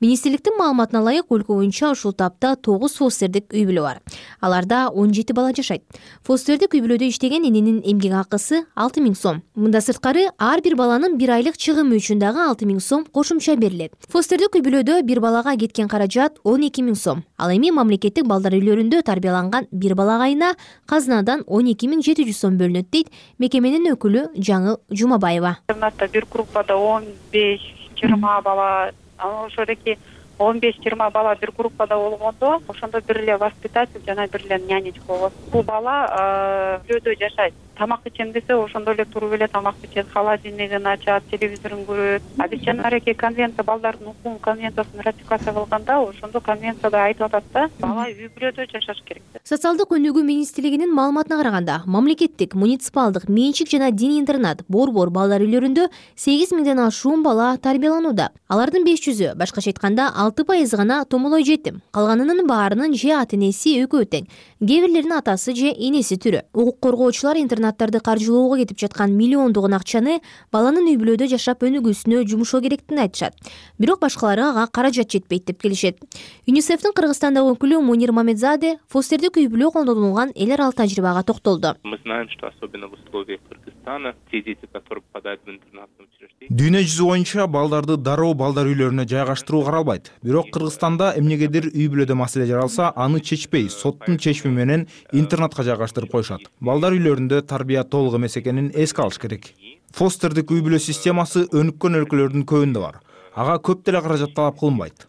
Министрликтин маалыматына ылайык, өлкө боюнча ушул тапта тогуз фостердик үй бүлө бар. Аларда он жети бала жашайт. Фостердик үй бүлөдө иштеген эненин эмгек акысы алты миң сом. Мында сырткары ар бир баланын бир айлык чыгымы үчүн дагы алты миң сом кошумча берилет. Фостердик үй бүлөдө бир балага кеткен каражат он эки миң сом. Ал эми мамлекеттик балдар үйлөрүндө тарбияланган бир балага айына казынадан он эки миң жети жүз сом бөлүнөт дейт мекеменин өкүлү Жаңыл Жумабаева. Интернатта бир группада он беш жыйырма бала, ошодоки он беш жыйырма бала бир группада болгондо, ошондо бир эле воспитатель жана бир эле нянечка болот. Бул бала үйлөдө жашайт. Тамак ичем десе, ошондо эле туруп эле тамак ичет, холодильнигин ачат, телевизорун көрөт. А биз жанагы конвенция, балдардын укугун конвенциясын ратификация кылганда, ошондо конвенцияда айтып атат да, бала үй бүлөдө жашаш керек. Социалдык өнүгүү министрлигинин маалыматына караганда, мамлекеттик, муниципалдык, менчик жана диний интернат, борбор балдар үйлөрүндө сегиз миңден ашуун бала тарбияланууда. Алардын беш жүзү, башкача айтканда алты пайызы гана томолой жетим. Калганынын баарынын же ата энеси экөө тең, кээ бирлеринин атасы же энеси түрө. Укук коргоочулар интернаттарды каржылоого кетип жаткан миллиондогон акчаны баланын үй бүлөдө жашап өнүгүүсүнө жумушоо керектигин айтышат. Бирок башкалары ага каражат жетпейт деп келишет. ЮНИСЕФтин Кыргызстандагы өкүлү Мунир Мамедзаде фостердик үй бүлө колдонулган эл аралык тажрыйбага токтолду. Мы знаем, что особенно в условиях Кыргызстана те дети, которые попадают в интернатные учреждения. Дүйнө жүзү боюнча балдарды дароо балдар үйлөрүнө жайгаштыруу каралбайт. Бирок Кыргызстанда эмнегедир үй бүлөдө маселе жаралса, аны чечпей, соттун чечими менен интернатка жайгаштырып коюшат. Балдар үйлөрүндө тарбия толук эмес экенин эске алыш керек. Фостердик үй бүлө системасы өнүккөн өлкөлөрдүн көбүндө бар. Ага көп деле каражат талап кылынбайт.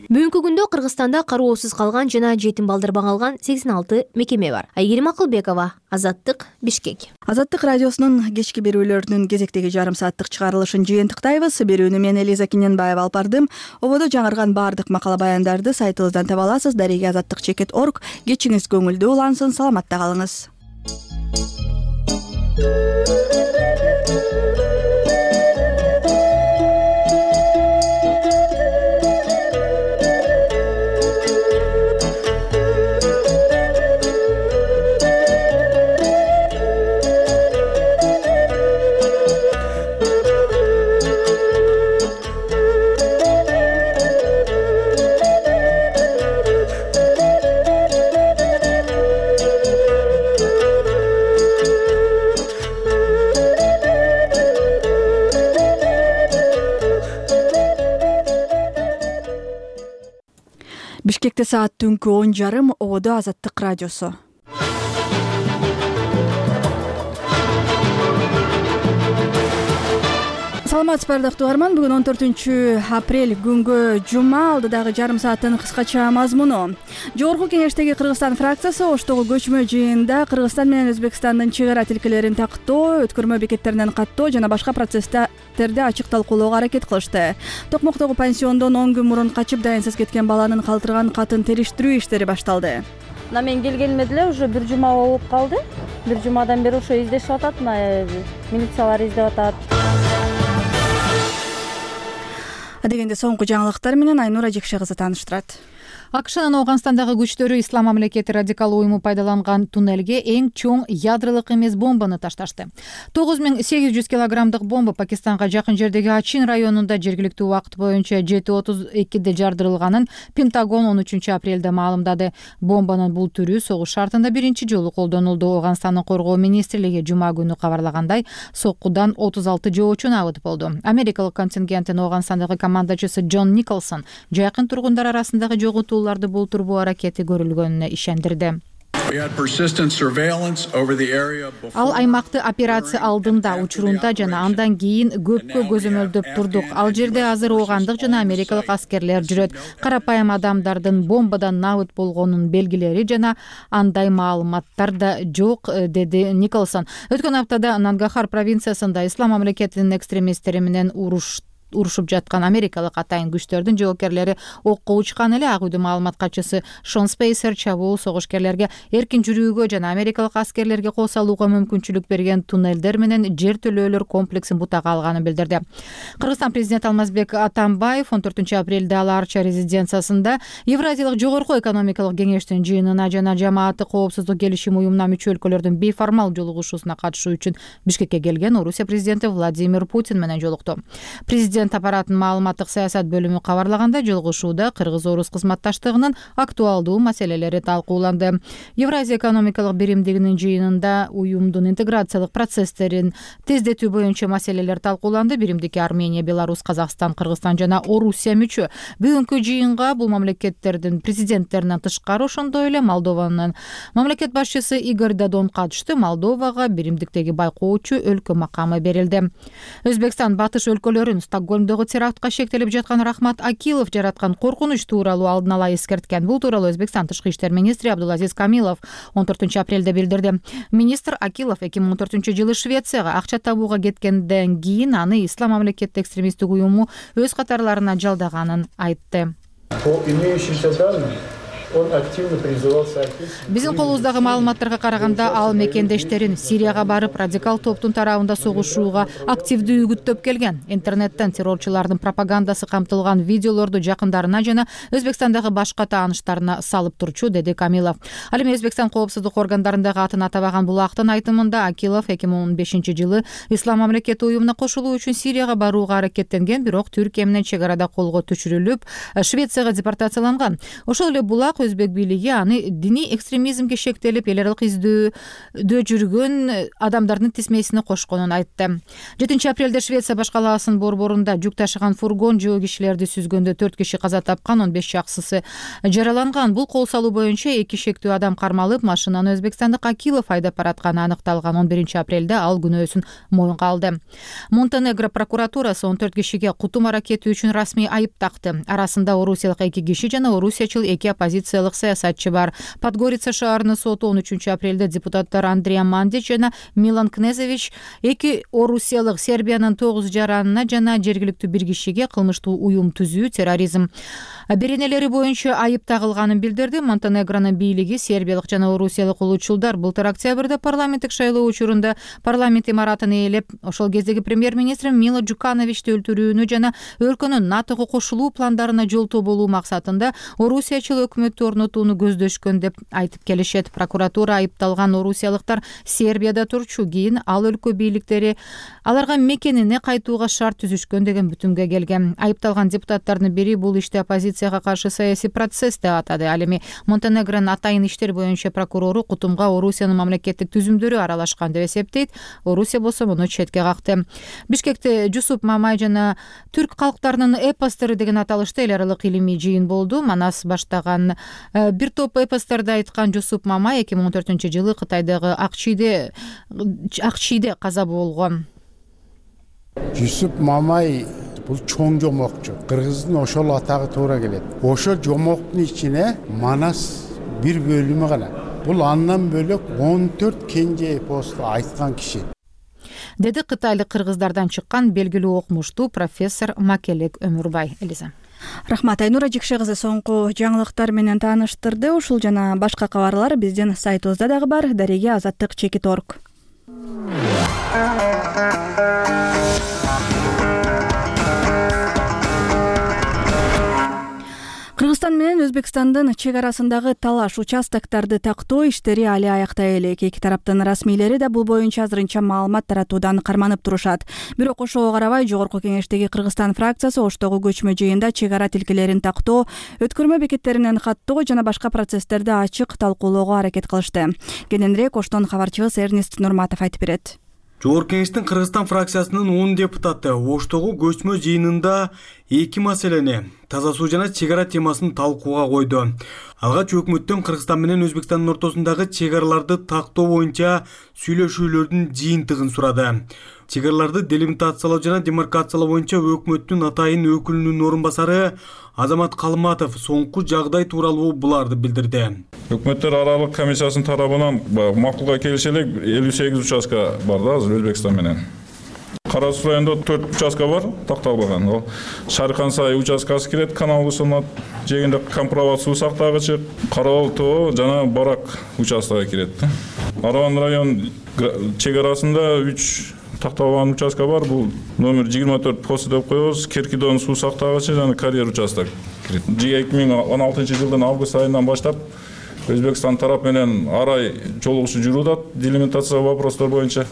Бүгүнкү күндө Кыргызстанда кароосуз калган жана жетим балдар багалган сексен алты мекеме бар. Айгерим Акылбекова, Азаттык, Бишкек. Азаттык радиосунун кечки берүүлөрүнүн кезектеги жарым сааттык чыгарылышын жыйынтыктайбыз. Берүүнү мен Элиза Киненбаева алып бардым. Ободо жаңырган баардык макала баяндарды сайтыбыздан таба аласыз. Дареги азаттык чекит точка орг. Кечиңиз көңүлдүү улансын, саламатта калыңыз. Бишкекте саат түнкү он жарым. Ободо Азаттык радиосу. Саламатсызбы ардактуу угарман. Бүгүн он төртүнчү апрель күнгө жума. Алдыдагы жарым сааттын кыскача мазмуну. Жогорку кеңештеги Кыргызстан фракциясы Оштогу көчмө жыйында Кыргызстан менен Өзбекстандын чек ара тилкелерин тактоо, өткөрмө бекеттеринен каттоо жана башка процесстерди ачык талкуулоого аракет кылышты. Токмоктогу пансиондон он күн мурун качып дайынсыз кеткен баланын калтырган катын териштирүү иштери башталды. Мына мен келгениме деле уже бир жума болуп калды. Бир жумадан бери ошо издешип атат, мына милициялар издеп атат. Дегенде соңку жаңылыктар менен Айнура Жекше кызы тааныштырат. АКШнын Ооганстандагы күчтөрү Ислам мамлекети радикал уюму пайдаланган туннелге эң чоң ядролук эмес бомбаны ташташты. тогуз миң сегиз жүз килограммдык бомба Пакистанга жакын жердеги Ачин районунда жергиликтүү убакыт боюнча жети отуз экиде жардырылганын Пентагон он үчүнчү апрелде маалымдады. Бомбанын бул түрү согуш шартында биринчи жолу колдонулду. Ооганстандын коргоо министрлиги жума күнү кабарлагандай, соккудан отуз алты жоочу абыт болду. Америкалык контингенттин Ооганстандагы командачысы Джон Николсон жакын тургундар арасындагы жоготууларды болтурбоо аракети көрүлгөнүнө ишендирди. Ал аймакты операция алдында, учурунда жана андан кийин көпкө көзөмөлдөп турдук. Ал жерде азыр оогандык жана америкалык аскерлер жүрөт. Карапайым адамдардын бомбадан набыт болгонунун белгилери жана андай маалыматтар да жок, деди Николсон. Өткөн аптада Нангахар провинциясында Ислам мамлекетинин экстремисттери менен уруш урушуп жаткан америкалык атайын күчтөрдүн жоокерлери окко учкан эле. Ак үйдүн маалымат катчысы Шон Спейсер чабуул согушкерлерге эркин жүрүүгө жана америкалык аскерлерге кол салууга мүмкүнчүлүк берген туннелдер менен жер төлөөлөр комплексин бутага алганын билдирди. Кыргызстан президенти Алмазбек Атамбаев он төртүнчү апрелде Ала Арча резиденциясында Евразиялык жогорку экономикалык кеңештин жыйынына жана жамааттык коопсуздук келишим уюмуна мүчө өлкөлөрдүн бейформал жолугушуусуна катышуу үчүн Бишкекке келген Орусия президенти Владимир Путин менен жолукту. Президент аппараттын маалыматтык саясат бөлүмү кабарлаганда, жолугушууда кыргыз-орус кызматташтыгынын актуалдуу маселелери талкууланды. Евразия экономикалык биримдигинин жыйынында уюмдун интеграциялык процесстерин тездетүү боюнча маселелер талкууланды. Биримдикке Армения, Беларусь, Казакстан, Кыргызстан жана Орусия мүчө. Бүгүнкү жыйынга бул мамлекеттердин президенттеринен тышкары ошондой эле Молдованын мамлекет башчысы Игорь Додон катышты. Молдовага биримдиктеги байкоочу өлкө макамы берилди. Өзбекстан батыш өлкөлөрүн Стокгольмдогу терактка шектелип жаткан Рахмат Акилов жараткан коркунуч тууралуу алдын ала эскерткен. Бул тууралуу Өзбекстан тышкы иштер министри Абдулазиз Камилов он төртүнчү апрелде билдирди. Министр Акилов эки миң он төртүнчү жылы Швецияга акча табууга кеткенден кийин аны Ислам мамлекети экстремисттик уюму өз катарларына жалдаганын айтты. Биздин колубуздагы маалыматтарга караганда, ал мекендештерин Сирияга барып, радикал топтун тарабында согушууга активдүү үгүттөп келген. Интернеттен террорчулардын пропагандасы камтылган видеолорду жакындарына жана Өзбекстандагы башка тааныштарына салып турчу, деди Камилов. Ал эми Өзбекстан коопсуздук органдарындагы атын атабаган булактын айтымында Акилов эки миң он бешинчи жылы Ислам мамлекети уюмуна кошулуу үчүн Сирияга барууга аракеттенген, бирок Түркия менен чек арада колго түшүрүлүп, Швецияга депортацияланган. Ошол эле булак өзбек бийлиги аны диний экстремизмге шектелип, эл аралык издөөдө жүргөн адамдардын тизмесине кошконун айтты. жетинчи апрелде Швеция баш калаасынын борборунда жүк ташыган фургон жөө кишилерди сүзгөндө төрт киши каза тапкан, он беш жакшысы жараланган. Бул кол салуу боюнча эки шектүү адам кармалып, машинаны өзбекстандык Акилов айдап баратканы аныкталган. он биринчи апрелде ал күнөөсүн моюнга алды. Монтенегро прокуратурасы он төрт кишиге кутум аракети үчүн расмий айып такты. Арасында орусиялык эки киши жана орусиячыл эки оппозициялык саясатчы бар. Подгорица шаарынын соту он үчүнчү апрелде депутаттар Андрей Мандич жана Милан Кнезевич эки орусиялык Сербиянын тогуз жаранына жана жергиликтүү бир кишиге кылмыштуу уюм түзүү, терроризм беренелери боюнча айып тагылганын билдирди. Монтенегронун бийлиги сербиялык жана орусиялык улуучулдар былтыр октябрда парламенттик шайлоо учурунда парламент имаратын ээлеп, ошол кездеги премьер-министр Мило Джукановичти өлтүрүүнү жана өлкөнүн натого кошулуу пландарына жолтоо болуу максатында орусиячыл өкмөт түзмөлдүүлүктү орнотууну көздөшкөн деп айтып келишет. Прокуратура айыпталган орусиялыктар Сербияда турчу, кийин ал өлкө бийликтери аларга мекенине кайтууга шарт түзүшкөн деген бүтүмгө келген. Айыпталган депутаттардын бири бул ишти оппозицияга каршы саясий процесс деп атады. Ал эми Монтенегронун атайын иштер боюнча прокурору кутумга Орусиянын мамлекеттик түзүмдөрү аралашкан деп эсептейт. Орусия болсо муну четке какты. Бишкекте Жусуп Мамай жана түрк калктарынын эпостору деген аталышта эл аралык илимий жыйын болду. Манас баштаган бир топ эпосторду айткан Жусуп Мамай эки миң он төртүнчү жылы Кытайдагы Акчиде Акчиде каза болгон. Жусуп Мамай бул чоң жомокчу. Кыргыздын ошол атагы туура келет. Ошол жомоктун ичине Манас бир бөлүмү гана. Бул андан бөлөк он төрт кенже эпосту айткан киши. Деди кытайлык кыргыздардан чыккан белгилүү окумуштуу профессор Макелек Өмүрбай. Элиза. Рахмат, Айнура Жикше кызы соңку жаңылыктар менен тааныштырды. Ушул жана башка кабарлар биздин сайтыбызда дагы бар. Дареге азаттык чекит точка орг. Кыргызстан менен Өзбекстандын чек арасындагы талаш участокторду тактоо иштери али аяктай элек. Эки тараптын расмийлери да бул боюнча азырынча маалымат таратуудан карманып турушат. Бирок ошого карабай Жогорку Кеңештеги Кыргызстан фракциясы Оштогу көчмө жыйында чек ара тилкелерин тактоо, өткөрмө бекеттеринен каттоо жана башка процесстерди ачык талкуулоого аракет кылышты. Кененирээк Оштон кабарчыбыз Эрнест Нурматов айтып берет. Жогорку Кеңештин Кыргызстан фракциясынын он депутаты Оштогу көчмө жыйынында эки маселени, таза суу жана чек ара темасын талкууга койду. Алгач өкмөттөн Кыргызстан менен Өзбекстандын ортосундагы чек араларды тактоо боюнча сүйлөшүүлөрдүн жыйынтыгын сурады. Чек араларды делимитациялоо жана демаркациялоо боюнча өкмөттүн атайын өкүлүнүн орун басары Азамат Калматов соңку жагдай тууралуу буларды билдирди. Өкмөттөр аралык комиссиясынын тарабынан макулга келише элек элүү сегиз участка бар да азыр Өзбекстан менен. Кара Суу районунда төрт участка бар такталбаган. Ал Шархан Сай участкасы кирет, канал Усунат жегинде Кампроват суу сактагычы, Карабал тоо жана Барак участогу кирет. Араван район чек арасында үч такталган участка бар. Бул номер жыйырма төрт пост деп коебуз. Керкидон суу сактагычы жана карьер участок кирет. эки миң он алтынчы жылдын август айынан баштап Өзбекстан тарап менен арай жолугушуу жүрүүдө делимитация вопростор боюнча.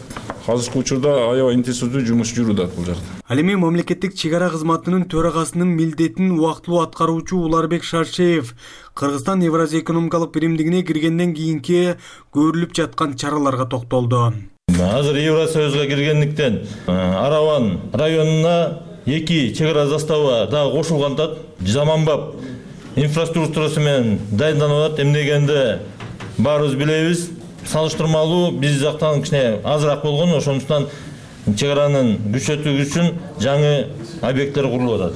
Азыркы учурда аябай интенсивдүү жумуш жүрүүдө бул жакта. Ал эми мамлекеттик чек ара кызматынын төрагасынын милдетин убактылуу аткаруучу Уларбек Шаршеев Кыргызстан Евразия экономикалык биримдигине киргенден кийинки көрүлүп жаткан чараларга токтолду. Азыр Евросоюзга киргендиктен Араван районуна эки чек ара заставы дагы кошулган. Заманбап инфраструктурасы менен дайындалып атат. Эмнегенде баарыбыз билебиз. Салыштырмалуу биз жактан кичине азыраак болгон, ошондуктан чек аранын күчөтүү үчүн жаңы объекттер курулуп атат.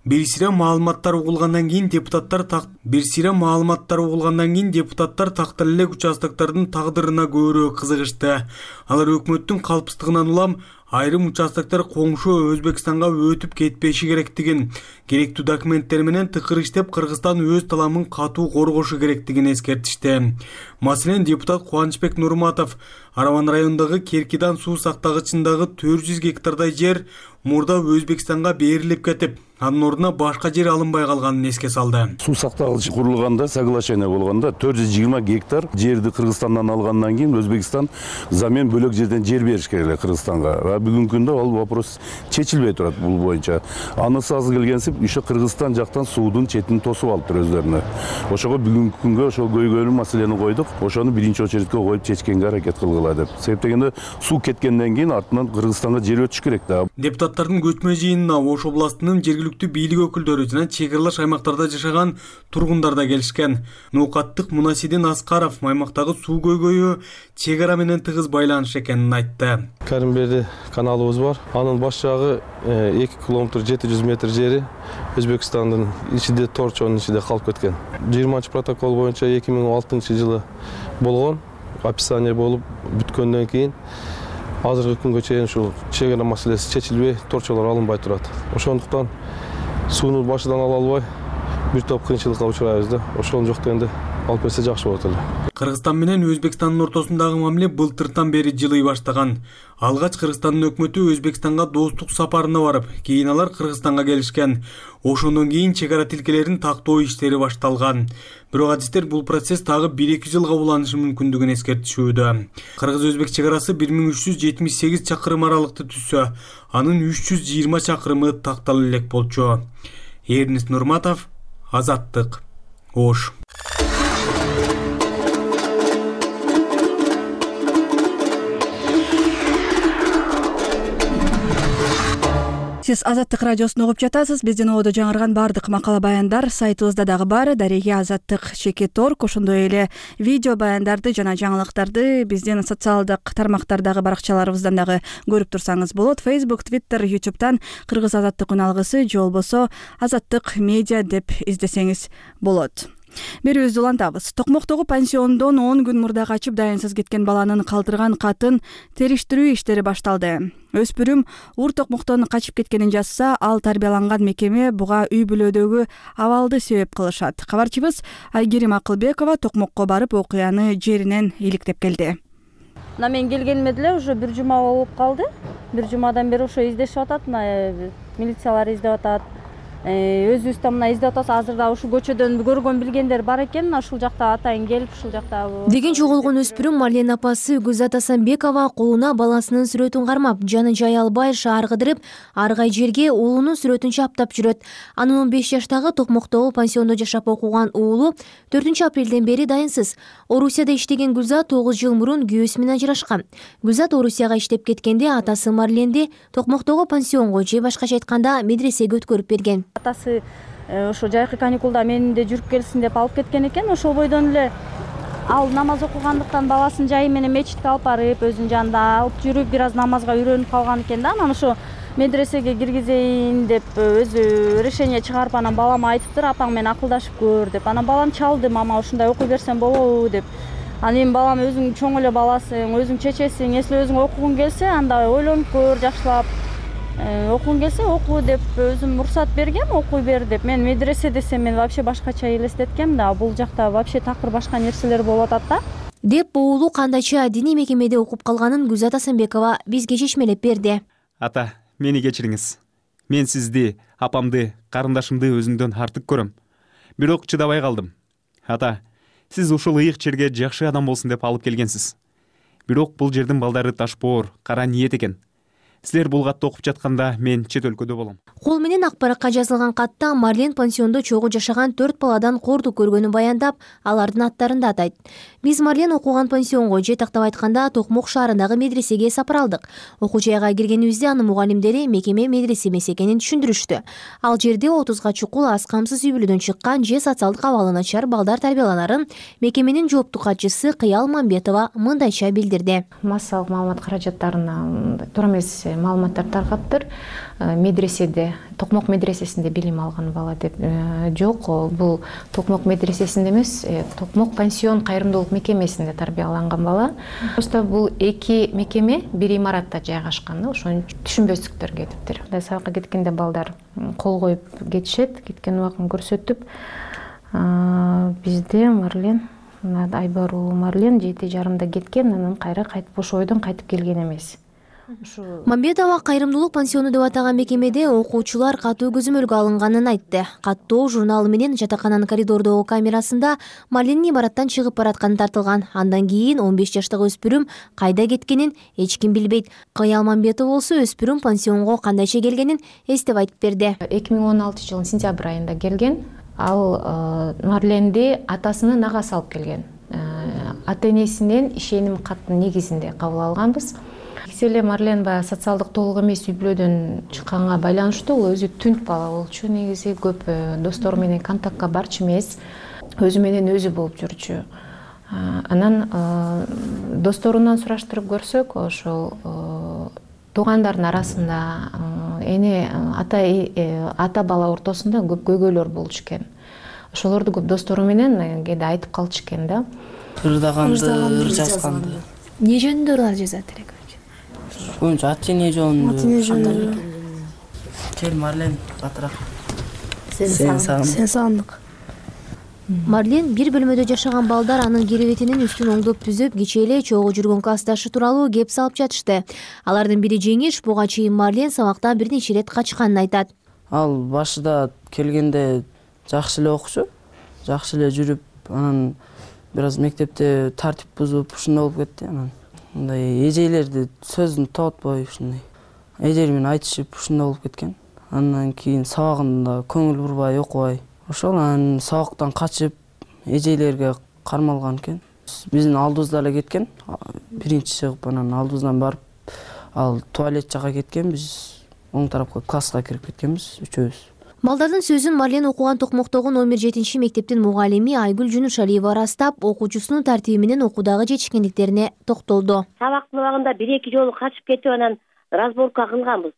Бир сыйра маалыматтар угулгандан кийин депутаттар так бир сыйра маалыматтар угулгандан кийин депутаттар тактала элек участоктордун тагдырына көбүрөөк кызыгышты. Алар өкмөттүн калпсыздыгынан улам айрым участоктор коңшу Өзбекстанга өтүп кетпеши керектигин, керектүү документтер менен тыкыр иштеп Кыргызстан өз таламын катуу коргошу керектигин эскертишти. Маселен, депутат Кубанычбек Нурматов Араван районундагы Керкидан суу сактагычындагы төрт жүз гектардай жер мурда Өзбекстанга берилип кетип, анын ордуна башка жер алынбай калганын эске салды. Суу сактагыч курулганда, соглашение болгондо төрт жүз жыйырма гектар жерди Кыргызстандан алгандан кийин Өзбекстан замен бөлөк жерден жер бериш керек Кыргызстанга. Бүгүнкү күндө ал вопрос чечилбей турат бул боюнча. Анысы аз келгенсип, ушу Кыргызстан жактан суудун четин тосуп алыптыр өздөрүнө. Ошого бүгүнкү күнгө ошол көйгөйлүү маселени койдук. Ошону биринчи очередке коюп чечкенге аракет кылгыла деп. Себеп дегенде суу кеткенден кийин артынан Кыргызстанга жер өтүш керек да. Депутаттардын көчмө жыйынына Ош областынын жергиликтүү бийлик өкүлдөрү жана чек аралаш аймактарда жашаган тургундар да келишкен. Ноокаттык Мунасидин Аскаров аймактагы суу көйгөйү чек ара менен тыгыз байланыш экенин айтты. Каримберди каналыбыз бар. Анын баш жагы эки километр жети жүз метр жери Өзбекстандын ичинде Торчонун ичинде калып кеткен. жыйырманчы протокол боюнча эки миң он алтынчы жылы болгон. Описание болуп бүткөндөн кийин азыркы күнгө чейин ушул чек ара маселеси чечилбей, торчолор алынбай турат. Ошондуктан сууну башынан ала албай бир топ кыйынчылыкка учурайбыз да. Ошол жок дегенде алып берсе жакшы болот эле. Кыргызстан менен Өзбекстандын ортосундагы мамиле былтыртан бери жылый баштаган. Алгач Кыргызстандын өкмөтү Өзбекстанга достук сапарына барып, кийин алар Кыргызстанга келишкен. Ошондон кийин чек ара тилкелерин тактоо иштери башталган. Бирок адистер бул процесс дагы бир эки жылга уланышы мүмкүндүгүн эскертишүүдө. Кыргыз-Өзбек чек арасы бир миң үч жүз жетимиш сегиз чакырым аралыкты түзсө, анын үч жүз жыйырма чакырымы тактала элек болчу. Эрнест Нурматов, Азаттык, Ош. Сиз Азаттык радиосун угуп жатасыз. Биздин ободо жаңырган баардык макала баяндар сайтыбызда дагы бар. Дареги Азаттык чекит орг. Ошондой эле видео баяндарды жана жаңылыктарды биздин социалдык тармактардагы баракчаларыбыздан дагы көрүп турсаңыз болот. Facebook, Twitter, YouTube'дан Кыргыз Азаттык үналгысы же болбосо Азаттык медиа деп издесеңиз болот. Берүүбүздү улантабыз. Токмоктогу пансиондон он күн мурда качып дайынсыз кеткен баланын калтырган катын териштирүү иштери башталды. Өспүрүм Ур Токмоктон качып кеткенин жазса, ал тарбияланган мекеме буга үй бүлөдөгү абалды себеп кылышат. Кабарчыбыз Айгерим Акылбекова Токмокко барып окуяны жеринен иликтеп келди. Мына мен келгениме деле уже бир жума болуп калды. Бир жумадан бери ошо издешип атат, мына милициялар издеп атат. Өзүбүз да мына издеп атабыз. Азыр да ушул көчөдөн көргөн билгендер бар экен. Ушул жакта атайын келип, ушул жакта деген жоголгон өспүрүм Марлен апасы Гүзат Асанбекова колуна баласынын сүрөтүн кармап, жаны жай албай шаар кыдырып, аргай жерге уулунун сүрөтүн чаптап жүрөт. Анын он беш жаштагы Токмоктогу пансиондо жашап окуган уулу төртүнчү апрелден бери дайынсыз. Орусияда иштеген Гүзат тогуз жыл мурун күйөөсү менен ажырашкан. Гүзат Орусияга иштеп кеткенде атасы Марленди Токмоктогу пансионго же башкача айтканда медресеге өткөрүп берген. Атасы ошо жайкы каникулда менде жүрүп келсин деп алып кеткен экен. Ошол бойдон эле ал намаз окугандыктан баласын жайы менен мечитке алып барып, өзүнүн жанында алып жүрүп, бир аз намазга үйрөнүп калган экен да. Анан ошо медресеге киргизейин деп өзү решение чыгарып, анан балама айтыптыр, апаң менен акылдашып көр деп. Анан балам чалды, мама ушундай окуй берсем болобу деп. Анан эми балам өзүң чоң эле баласың, өзүң чечесиң, если өзүң окугуң келсе, анда ойлонуп көр, жакшылап. Окугуң келсе оку деп өзүм уруксат бергем, окуй бер деп. Мен медресе десем мен вообще башкача элестеткем да, бул жакта вообще такыр башка нерселер болуп атат да. Деп уулу кандайча диний мекемеде окуп калганын Гүзат Асанбекова бизге чечмелеп берди. Ата, мени кечириңиз. Мен сизди, апамды, карындашымды өзүмдөн артык көрөм. Бирок чыдабай калдым. Ата, сиз ушул ыйык жерге жакшы адам болсун деп алып келгенсиз. Бирок бул жердин балдары ташпоор, кара ниет экен. Силер бул катты окуп жатканда мен чет өлкөдө болом. Кол менен ак баракка жазылган катта Марлен пансиондо чогуу жашаган төрт баладан кордук көргөнүн баяндап, алардын аттарын да атайт. Биз Марлен окуган пансионго же тактап айтканда Токмок шаарындагы медресеге сапар алдык. Окуу жайга киргенибизде анын мугалимдери мекеме медресе эмес экенин түшүндүрүштү. Ал жерде отузга чукул аз камсыз үй бүлөдөн чыккан же социалдык абалы начар балдар тарбияланарын мекеменин жооптуу катчысы Кыял Мамбетова мындайча билдирди. Массалык маалымат каражаттарына туура эмес маалыматтар таркаптыр. Медреседе, Токмок медресесинде билим алган бала деп жок. Бул Токмок медресесинде эмес, Токмок пансион кайрымдуулук мекемесинде тарбияланган бала. Просто бул эки мекеме бир имаратта жайгашкан да, ошону түшүнбөстүктөр кетиптир. Сабакка кеткенде балдар кол коюп кетишет, кеткен убагын көрсөтүп. Бизде Марлен, Айбар уулу Марлен жети жарымда кеткен, анан кайра кайтып ошол бойдон кайтып келген эмес. Мамбетова кайрымдуулук пансиону деп атаган мекемеде окуучулар катуу көзөмөлгө алынганын айтты. Каттоо журналы менен жатакананын коридордогу камерасында Марленин имараттан чыгып баратканы тартылган. Андан кийин он беш жаштагы өспүрүм кайда кеткенин эч ким билбейт. Кыял Мамбетов болсо өспүрүм пансионго кандайча келгенин эстеп айтып берди. эки миң он алтынчы жылдын сентябрь айында келген. Ал Марленди атасынын агасы алып келген. Ата энесинен ишеним каттын негизинде кабыл алганбыз. Эле Марлен баягы социалдык толук эмес үй бүлөдөн чыкканга байланыштуу, ол өзү түнт бала болчу, негизи көп достору менен контактка барчу эмес, өзү менен өзү болуп жүрчү. Анан досторунан сураштырып көрсөк, ошол туугандардын арасында эне ата ата бала ортосунда көп көйгөйлөр болчу экен. Ошолорду көп достору менен кээде айтып калчу экен да. Ырдаганды, ыр жазганды. Не жөнүндө ырлар жазат элек? Боюнча ат эне жөнүндө. Кел Марлен батыраак. Сен сагындык. Сен сагындык. Марлен бир бөлмөдө жашаган балдар анын керебетинин үстүн оңдоп түзөп, кечээ эле чогуу жүргөн классташы тууралуу кеп салып жатышты. Алардын бири Жеңиш, буга чейин Марлен сабактан бир нече ирет качканын айтат. Ал башында келгенде жакшы эле окучу, жакшы эле жүрүп, анан бир аз мектепте тартип бузуп ушундай болуп кетти. Анан мындай эжейлерди сөзүн тоотпой ушундай эжели менен айтышып ушундай болуп кеткен. Андан кийин сабагында көңүл бурбай, окубай, ошол анан сабактан качып эжейлерге кармалган экен. Биздин алдыбызда эле кеткен. Биринчи чыгып, анан алдыбыздан барып, ал туалет жака кеткен, биз оң тарапка класска кирип кеткенбиз үчөөбүз. Балдардын сөзүн Марлен окуган Токмоктогу номер жетинчи мектептин мугалими Айгүл Жунушалиева ырастап, окуучусунун тартиби менен окуудагы жетишкендиктерине токтолду. Сабактын убагында бир эки жолу качып кетип, анан разборка кылганбыз.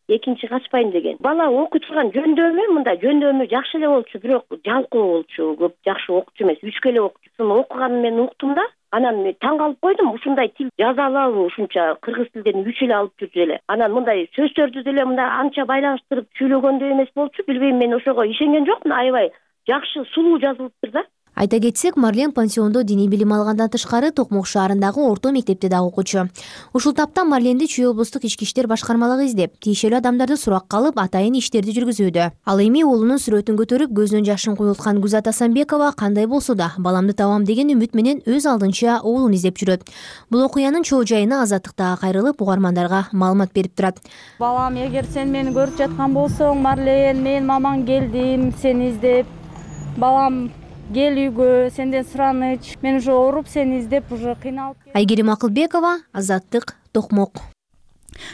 Экинчи качпайм деген. Бала окуй турган жөндөмү, мында жөндөмү жакшы эле болчу, бирок жалкоо болчу, көп жакшы окуучу эмес, үчкө эле окуучусун окуганын мен уктум да. Анан мен таң калып койдум, ушундай тил жаза алабы, ушунча кыргыз тилден үч эле алып жүрдү эле. Анан мындай сөздөрдү деле мындай анча байланыштырып сүйлөгөндөй эмес болчу, билбейм, мен ошого ишенген жокмун, аябай жакшы, сулуу жазылыптыр да. Айта кетсек, Марлен пансиондо диний билим алгандан тышкары Токмок шаарындагы орто мектепте да окуучу. Ушул тапта Марленди Чүй облустук ички иштер башкармалыгы издеп, тиешелүү адамдарды суракка алып, атайын иштерди жүргүзүүдө. Ал эми уулунун сүрөтүн көтөрүп, көзүнөн жашын куюлткан Гүзат Асанбекова кандай болсо да баламды табам деген үмүт менен өз алдынча уулун издеп жүрөт. Бул окуянын чоо жайына Азаттыктагы кайрылып, угармандарга маалымат берип турат. Балам, эгер сен мени көрүп жаткан болсоң, Марлен, мен мамаң келдим сени издеп. Балам, кел үйгө, сенден сураныч. Мен уже ооруп сени издеп, уже кыйналып. Айгерим Акылбекова, Азаттык, Токмок.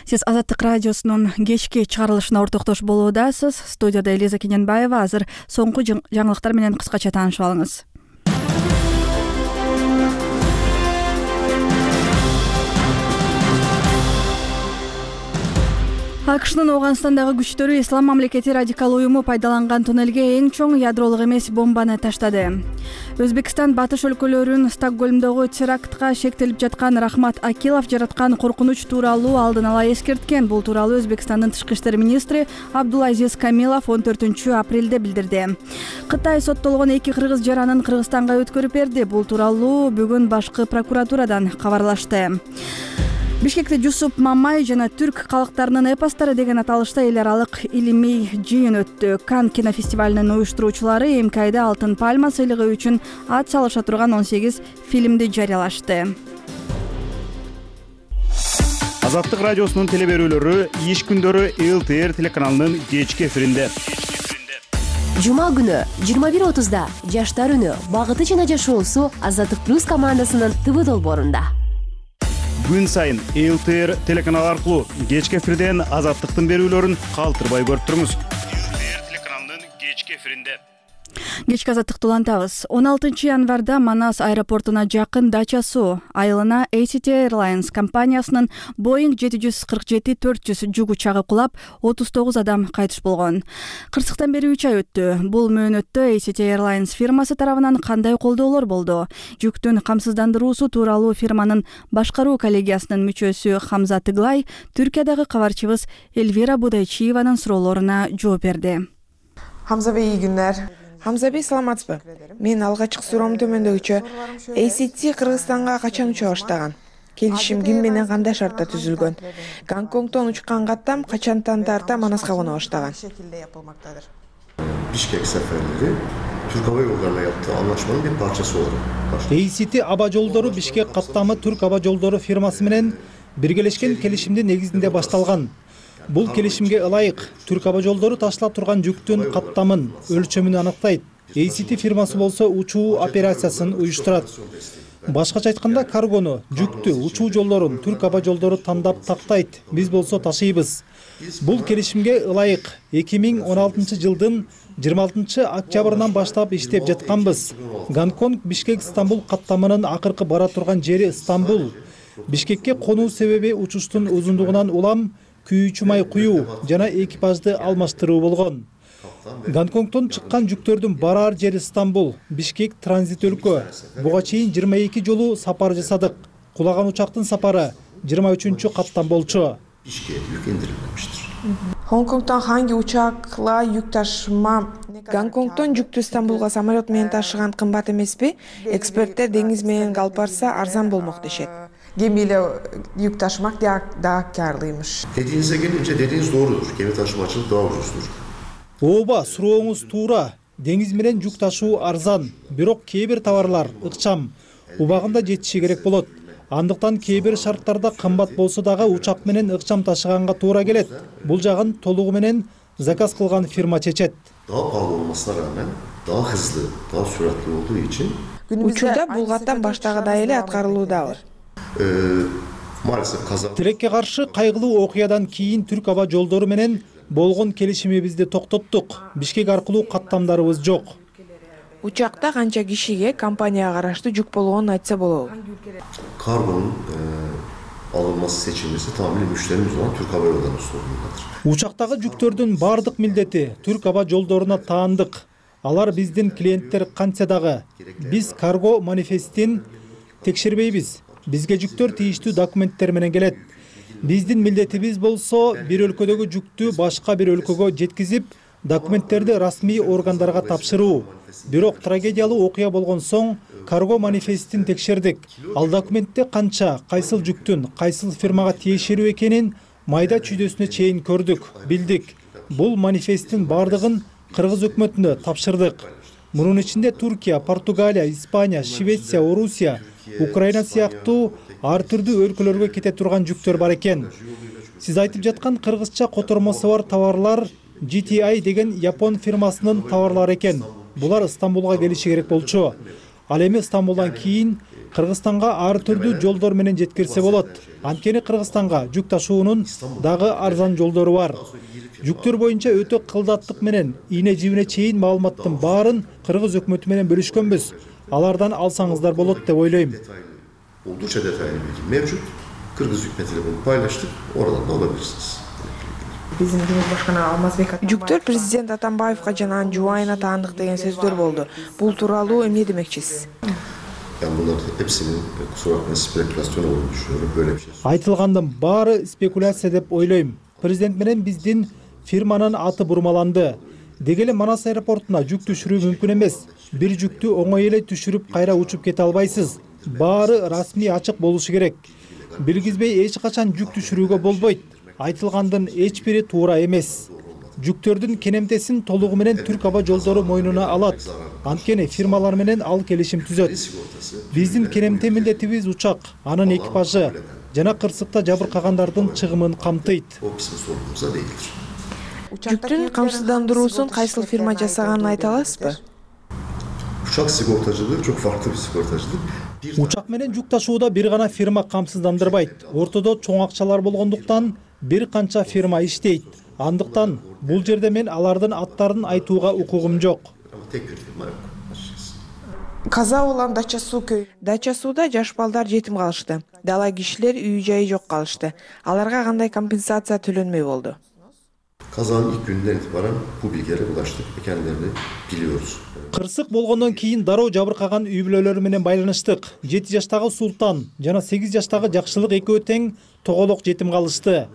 Сиз Азаттык радиосунун кечки чыгарылышына ортоктош болуудасыз. Студияда Элиза Кененбаева. Азыр соңку жаңылыктар менен кыскача таанышып алыңыз. АКШнын Ооганстандагы күчтөрү Ислам мамлекети радикал уюму пайдаланган туннелге эң чоң ядролук эмес бомбаны таштады. Өзбекстан батыш өлкөлөрүн Стокгольмдогу терактка шектелип жаткан Рахмат Акилов жараткан коркунуч тууралуу алдын ала эскерткен. Бул тууралуу Өзбекстандын тышкы иштер министри Абдулазиз Камилов он төртүнчү апрелде билдирди. Кытай соттолгон эки кыргыз жаранын Кыргызстанга өткөрүп берди. Бул тууралуу бүгүн башкы прокуратурадан кабарлашты. Бишкекте Жусуп Мамай жана түрк калктарынын эпостори деген аталышта эл аралык илимий жыйын өттү. Кан кинофестивалынын уюштуруучулары эмкайда Алтын пальма сыйлыгы үчүн ат салыша турган он сегиз фильмди жарыялашты. Азаттык радиосунун теле берүүлөрү иш күндөрү эл тэ эр телеканалынын кечки эфиринде. Жума күнү жыйырма бир отузда Жаштар үнү багыты жана жашоосу Азаттык плюс командасынын тэ вэ долбоорунда. Күн сайын эл тэ эр телеканалы аркылуу кечки эфирден Азаттыктын берүүлөрүн калтырбай көрүп туруңуз. эл тэ эр телеканалынын кечки эфиринде. Кечки Азаттыкты улантабыз. он алтынчы январда Манас аэропортуна жакын дача суу айылына эй си ти Airlines компаниясынын Boeing жети жүз кырк жети төрт жүз жүк учагы кулап, отуз тогуз адам кайтыш болгон. Кырсыктан бери үч ай өттү. Бул мөөнөттө эй си ти Airlines фирмасы тарабынан кандай колдоолор болду? Жүктүн камсыздандыруусу тууралуу фирманын башкаруу коллегиясынын мүчөсү Хамза Тыглай Түркиядагы кабарчыбыз Эльвира Будайчиеванын суроолоруна жооп берди. Хамза бей, ий күндөр. Хамза бей, саламатсызбы? Мен алгачкы суроом төмөндөгүчө. эй си ти Кыргызстанга качан уча баштаган? Келишим ким менен кандай шартта түзүлгөн? Гонконгдон учкан каттам качантан тарта Манаска коно баштаган? Бишкек сапарлары Түрк аба жолдоруна yaptığı anlaşmanın bir parçası olarak başladı. эй си ти аба жолдору Бишкек каттамы Түрк аба жолдору фирмасы менен биргелешкен келишимдин негизинде башталган. Бул келишимге ылайык Түрк аба жолдору ташыла турган жүктүн каттамын, өлчөмүн аныктайт. эй си ти фирмасы болсо учуу операциясын уюштурат. Башкача айтканда, каргону, жүктү, учуу жолдорун Түрк аба жолдору тандап тактайт. Биз болсо ташыйбыз. Бул келишимге ылайык эки миң он алтынчы жылдын жыйырма алтынчы октябрынан баштап иштеп жатканбыз. Гонконг Бишкек Стамбул каттамынын акыркы бара турган жери Стамбул. Бишкекке конуу себеби учуштун узундугунан улам күйүүчү май куюу жана экипажды алмаштыруу болгон. Гонконгдон чыккан жүктөрдүн барар жери Стамбул, Бишкек транзит өлкө. Буга чейин жыйырма эки жолу сапар жасадык. Кулаган учактын сапары жыйырма үчүнчү каттан болчу. Hongkongтон hangi uçakla yük taşıma? Гонконгтон жүктү Стамбулга самолет менен ташыган кымбат эмеспи? Эксперттер деңиз менен калпарса арзан болмок дешет. Gemiyle yük taşımak daha karlıymış. Dediğinize gelince dediğiniz doğrudur. Gemi taşımacılık daha ucuzdur. Ооба, сурооңуз туура. Деңиз менен жүк ташуу арзан, бирок кээ бир товарлар ыкчам, убагында жетиши керек болот. Андыктан кээ бир шарттарда кымбат болсо дагы учак менен ыкчам ташыганга туура келет. Бул жагын толугу менен заказ кылган фирма чечет. Daha pahalı olmasına rağmen daha hızlı, daha süratli olduğu için учурда бул каттам баштагыдай эле аткарылуудабы. Maalesef kaza. Тилекке каршы кайгылуу окуядан кийин түрк аба жолдору менен болгон келишимибизди токтоттук. Бишкек аркылуу каттамдарыбыз жок. Учакта канча кишиге компанияга караштуу жүк болгонун айтса болобу? Kargonun e, alınması seçilmesi tamamen müşterimiz olan Türk Hava Yolları'nın sorumluluğudur. Учактагы жүктөрдүн бардык милдети түрк аба жолдоруна таандык. Алар биздин клиенттер кантса дагы. Биз карго манифестин текшербейбиз. Бизге жүктөр тийиштүү документтер менен келет. Биздин милдетибиз болсо бир өлкөдөгү жүктү башка бир өлкөгө жеткизип, документтерди расмий органдарга тапшыруу. Бирок трагедиялуу окуя болгон соң карго манифестин текшердик. Ал документте канча, кайсыл жүктүн, кайсыл фирмага тиешелүү экенин майда чүйдөсүнө чейин көрдүк, билдик. Бул манифесттин бардыгын кыргыз өкмөтүнө тапшырдык. Мунун ичинде Туркия, Португалия, Испания, Швеция, Орусия, Украина сыяктуу ар түрдүү өлкөлөргө кете турган жүктөр бар экен. Сиз айтып жаткан кыргызча котормосу бар товарлар джи ти ай деген Япон фирмасынын товарлары экен. Булар Стамбулга келиши керек болчу. Ал эми Стамбулдан кийин Кыргызстанга ар түрдүү жолдор менен жеткирсе болот. Анткени Кыргызстанга жүк ташуунун дагы арзан жолдору бар. Жүктөр боюнча өтө кылдаттык менен ийне жибине чейин маалыматтын баарын кыргыз өкмөтү менен бөлүшкөнбүз. Алардан алсаңыздар болот деп ойлойм. Oldukça detaylı bilgi mevcut. Kırgız hükümetiyle bunu paylaştık. Oradan da alabilirsiniz. Биздин Cumhurbaşkanı Алмазбек жүктөр президент Атамбаевга жана анын жубайына таандык деген сөздөр болду. Бул тууралуу эмне демекчисиз? Ben bunların hepsinin kusura bakmayın spekülasyon olduğunu düşünüyorum. Böyle bir şey. Айтылгандын баары спекуляция деп ойлойм. Президент менен биздин фирманын аты бурмаланды. Деги эле Манас аэропортуна жүк түшүрүү мүмкүн эмес. Бир жүктү оңой эле түшүрүп кайра учуп кете албайсыз. Баары расмий ачык болушу керек. Билгизбей эч качан жүк түшүрүүгө болбойт. Айтылгандын эч бири туура эмес. Жүктөрдүн кенемтесин толугу менен Түрк аба жолдору мойнуна алат. Анткени фирмалар менен ал келишим түзөт. Биздин кенемте милдетибиз учак, анын экипажы жана кырсыкта жабыркагандардын чыгымын камтыйт. Жүктүн камсыздандыруусун кайсыл фирма жасаганын айта аласызбы? Uçak sigortacılığı çok farklı bir sigortacılık. Учак менен жүк ташууда бир гана фирма камсыздандырбайт. Ортодо чоң акчалар болгондуктан бир канча фирма иштейт. Андыктан бул жерде мен алардын аттарын айтууга укугум жок. Каза болгон Дача суу көй. Дача сууда жаш балдар жетим калышты. Дала кишилер үй жайы жок калышты. Аларга кандай компенсация төлөнмөй болду? Kazanın ilk günden itibaren bu bilgilere ulaştık ve kendilerini biliyoruz. Кырсык болгондон кийин дароо жабыркаган үй бүлөлөрү менен байланыштык. жети жаштагы Султан жана сегиз жаштагы Жакшылык экөө тең тоголок жетим калышты.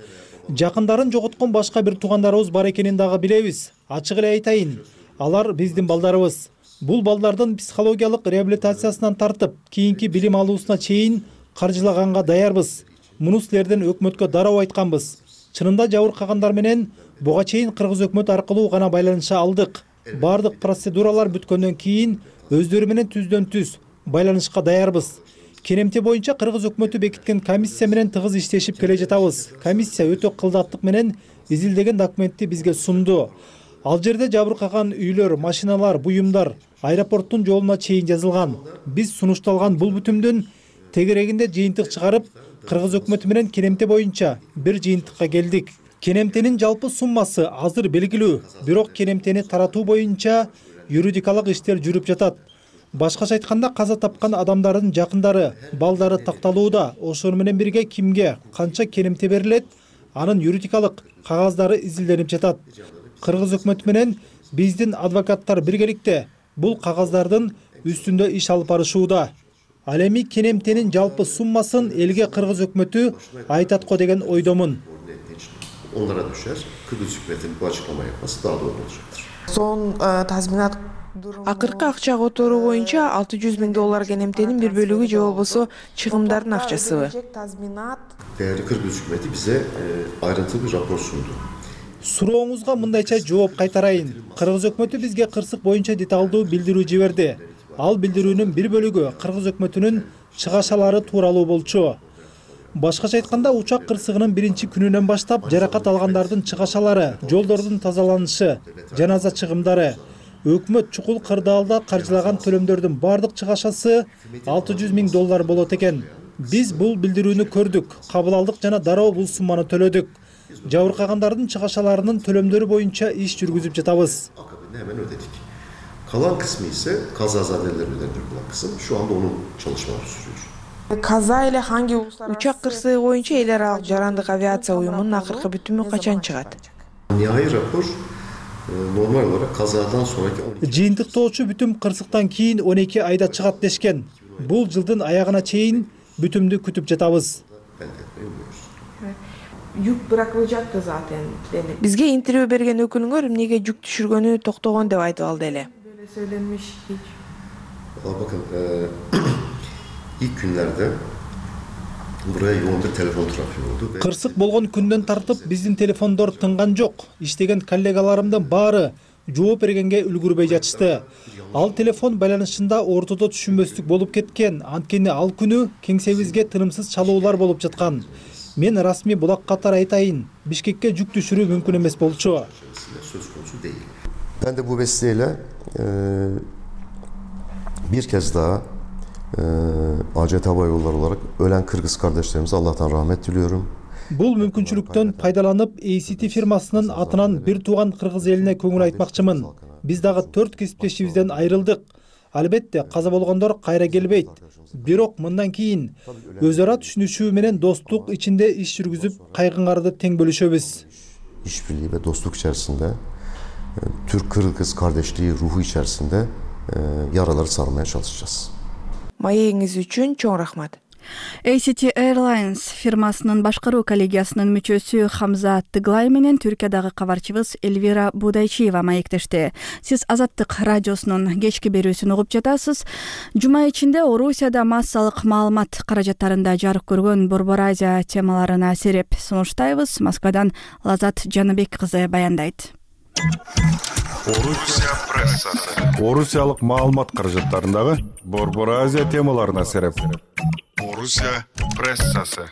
Жакындарын жоготкон башка бир туугандарыбыз бар экенин дагы билебиз. Ачык эле айтайын, алар биздин балдарыбыз. Бул балдардын психологиялык реабилитациясынан тартып, кийинки билим алуусуна чейин каржылаганга даярбыз. Муну силерден өкмөткө дароо айтканбыз. Чынында жабыркагандар менен буга чейин кыргыз өкмөтү аркылуу гана байланыша алдык. Бардык процедуралар бүткөндөн кийин өздөрү менен түздөн түз байланышка даярбыз. Кенемте боюнча кыргыз өкмөтү бекиткен комиссия менен тыгыз иштешип келе жатабыз. Комиссия өтө кылдаттык менен изилдеген документти бизге сунду. Ал жерде жабыркаган үйлөр, машиналар, буюмдар аэропорттун жолуна чейин жазылган. Биз сунушталган бул бүтүмдүн тегерегинде жыйынтык чыгарып, кыргыз өкмөтү менен кенемте боюнча бир жыйынтыкка келдик. Кенемтенин жалпы суммасы азыр белгилүү, бирок кенемтени таратуу боюнча юридикалык иштер жүрүп жатат. Башкача айтканда каза тапкан адамдардын жакындары, балдары такталууда. Ошону менен бирге кимге канча кенемте берилет, анын юридикалык кагаздары изилденип жатат. Кыргыз өкмөтү менен биздин адвокаттар биргеликте бул кагаздардын үстүндө иш алып барышууда. Ал эми кенемтенин жалпы суммасын элге кыргыз өкмөтү айтат го деген ойдомун. onlara düşer. Kıbrıs hükümetinin bu açıklamayı yapması daha doğru olacaktır. Son tazminat акыркы акча которуу боюнча алты жүз миң доллар кенемтенин бир бөлүгү же болбосо чыгымдардын акчасыбы? Değerli Kıbrıs hükümeti bize ayrıntılı bir rapor sundu. Сурооңузга мындайча жооп кайтарайын. Кыргыз өкмөтү бизге кырсык боюнча деталдуу билдирүү жиберди. Ал билдирүүнүн бир бөлүгү Кыргыз өкмөтүнүн чыгашалары тууралуу болчу. Башкача айтканда, учак кырсыгынын биринчи күнүнөн баштап жаракат алгандардын чыгашалары, жолдордун тазаланышы, жаназа чыгымдары, өкмөт чукул кырдаалда каржылаган төлөмдөрдүн бардык чыгашасы алты жүз миң доллар болот экен. Биз бул билдирүүнү көрдүк, кабыл алдык жана дароо бул сумманы төлөдүк. Жабыркагандардын чыгашаларынын төлөмдөрү боюнча иш жүргүзүп жатабыз. Akabinde hemen ödedik. Kalan kısmı ise kazazadeler ödenir bu kısım. Şu anda onun çalışmaları sürüyor. Kaza ile hangi uçak kırсыгы боюнча эл аралык жарандык авиация уюмунун акыркы бүтүмү качан чыгат? Nihai rapor normal olarak kazadan sonraki on iki Жыйынтыктоочу бүтүм кырсыктан кийин он эки айда чыгат дешкен. Бул жылдын аягына чейин бүтүмдү күтүп жатабыз. Жүк bırakılacaktı zaten. Бизге интервью берген өкүлүңөр эмнеге жүк түшүргөнү токтогон деп айтып алды эле. Böyle söylenmiş hiç. Bakın ilk günlerde buraya yoğun bir telefon trafiği oldu. Кырсык болгон күндөн тартып биздин телефондор тынган жок. Иштеген коллегаларымдын баары жооп бергенге үлгүрбөй жатышты. Ал телефон байланышында ортодо түшүнбөстүк болуп кеткен. Анткени ал күнү кеңсебизге тынымсыз чалуулар болуп жаткан. Мен расмий булак катар айтайын, Бишкекке жүк түшүрүү мүмкүн эмес болчу. Söz konusu değil. Ben de bu vesileyle e, bir kez daha e, A C T Hava Yolları olarak ölen Kırgız kardeşlerimize Allah'tan rahmet diliyorum. Бул мүмкүнчүлүктөн пайдаланып A C T фирмасынын атынан бир тууган кыргыз элине көңүл айтмакчымын. Биз дагы төрт кесиптешибизден айрылдык. Албетте каза болгондор кайра келбейт. Бирок мындан кийин өз ара түшүнүшүү менен достук ичинде иш жүргүзүп, кайгыңарды тең бөлүшөбүз. İşbirliği ve dostluk içerisinde Türk-Kırgız kardeşliği ruhu içerisinde e, yaraları sarmaya çalışacağız. Маегиңиз үчүн чоң рахмат. A C T Airlines фирмасынын башкаруу коллегиясынын мүчөсү Хамза Тыглай менен Түркиядагы кабарчыбыз Эльвира Будайчиева маектешти. Сиз Азаттык радиосунун кечки берүүсүн угуп жатасыз. Жума ичинде Орусияда массалык маалымат каражаттарында жарык көргөн Борбор Азия темаларына сереп сунуштайбыз. Москвадан Лазат Жаныбек кызы баяндайт. Орусия прессасы. Орусиялык маалымат каражаттарындагы Борбор Азия темаларына сереп. Орусия прессасы.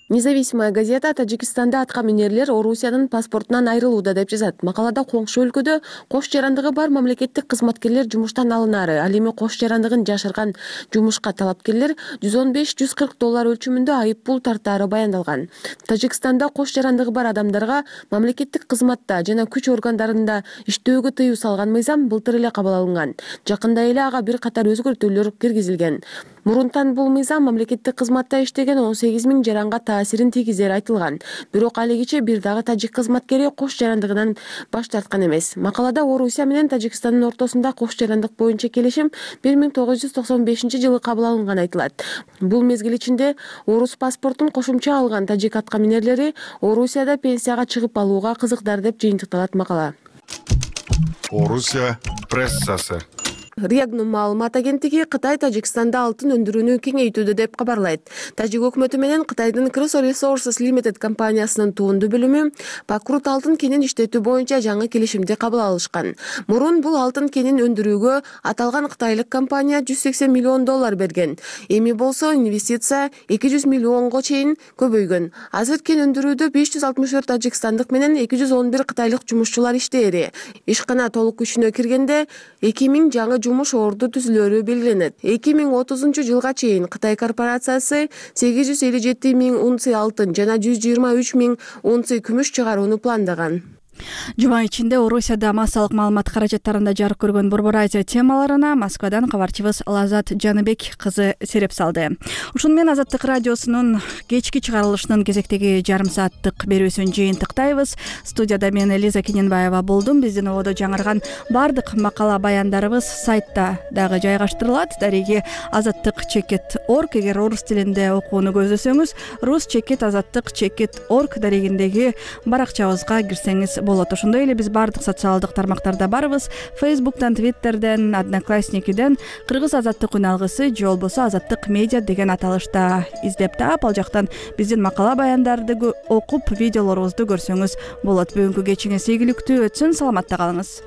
Независимая газета Тажикстанда аткаминерлер Орусиянын паспортунан айрылууда деп жазат. Макалада коңшу өлкөдө кош жарандыгы бар мамлекеттик кызматкерлер жумуштан алынары. Ал эми кош жарандыгын жашырган жумушка талапкерлер жүз он беш жүз кырк доллар өлчөмүндө айып пул тартаары баяндалган. Тажикстанда кош жарандыгы бар адамдарга мамлекеттик кызматта жана күч органдарында иштөөгө тыюу салган мыйзам былтыр эле кабыл алынган. Жакында эле ага бир катар өзгөртүүлөр киргизилген. Мурунтан бул мыйзам мамлекеттик кызматта иштеген он сегиз миң жаранга таасирин тийгизери айтылган. Бирок алигиче бир дагы тажик кызматкери кош жарандыгынан баш тарткан эмес. Макалада Орусия менен Тажикстандын ортосунда кош жарандык боюнча келишим бир миң тогуз жүз токсон бешинчи жылы кабыл алынган айтылат. Бул мезгил ичинде орус паспортун кошумча алган тажик аткаминерлери Орусияда пенсияга чыгып алууга кызыктар деп жыйынтыкталат макала. Орусия прессасы. Регнум маалымат агенттиги Кытай Тажикстанда алтын өндүрүүнү кеңейтүүдө деп кабарлайт. Тажик өкмөтү менен Кытайдын Crystal Resources Limited компаниясынын туунду бөлүмү Пакрут алтын кенин иштетүү боюнча жаңы келишимди кабыл алышкан. Мурун бул алтын кенин өндүрүүгө аталган кытайлык компания жүз сексен миллион доллар берген. Эми болсо инвестиция эки жүз миллионго чейин көбөйгөн. Азыр кен өндүрүүдө беш жүз алтымыш төрт тажикстандык менен эки жүз он бир кытайлык жумушчулар иштээри. Ишкана толук күчүнө киргенде эки миң жаңы жумуш орду түзүлөрү белгиленет. эки миң отузунчу жылга чейин Кытай корпорациясы сегиз жүз элүү жети миң унция алтын жана жүз жыйырма үч миң унция күмүш чыгарууну пландаган. Жума ичинде Орусияда массалык маалымат каражаттарында жарык көргөн Борбор Азия темаларына Москвадан кабарчыбыз Лазат Жаныбек кызы сереп салды. Ушуну менен Азаттык радиосунун кечки чыгарылышынын кезектеги жарым сааттык берүүсүн жыйынтыктайбыз. Студияда мен Элиза Киненбаева болдум. Биздин ободо жаңырган бардык макала баяндарыбыз сайтта дагы жайгаштырылат. Дареги азаттык чекит точка орг. Эгер орус тилинде окууну көздөсөңүз, рус чекит азаттык чекит орг дарегиндеги баракчабызга кирсеңиз болот. Ошондой эле биз бардык социалдык тармактарда барбыз. Фейсбуктан, Твиттерден, Одноклассникиден Кыргыз азаттык үн алгысы же болбосо азаттык медиа деген аталышта издеп таап, ал жактан биздин макала баяндарды окуп, видеолорубузду көрсөңүз болот. Бүгүнкү кечиңиз ийгиликтүү өтсүн. Саламатта калыңыз.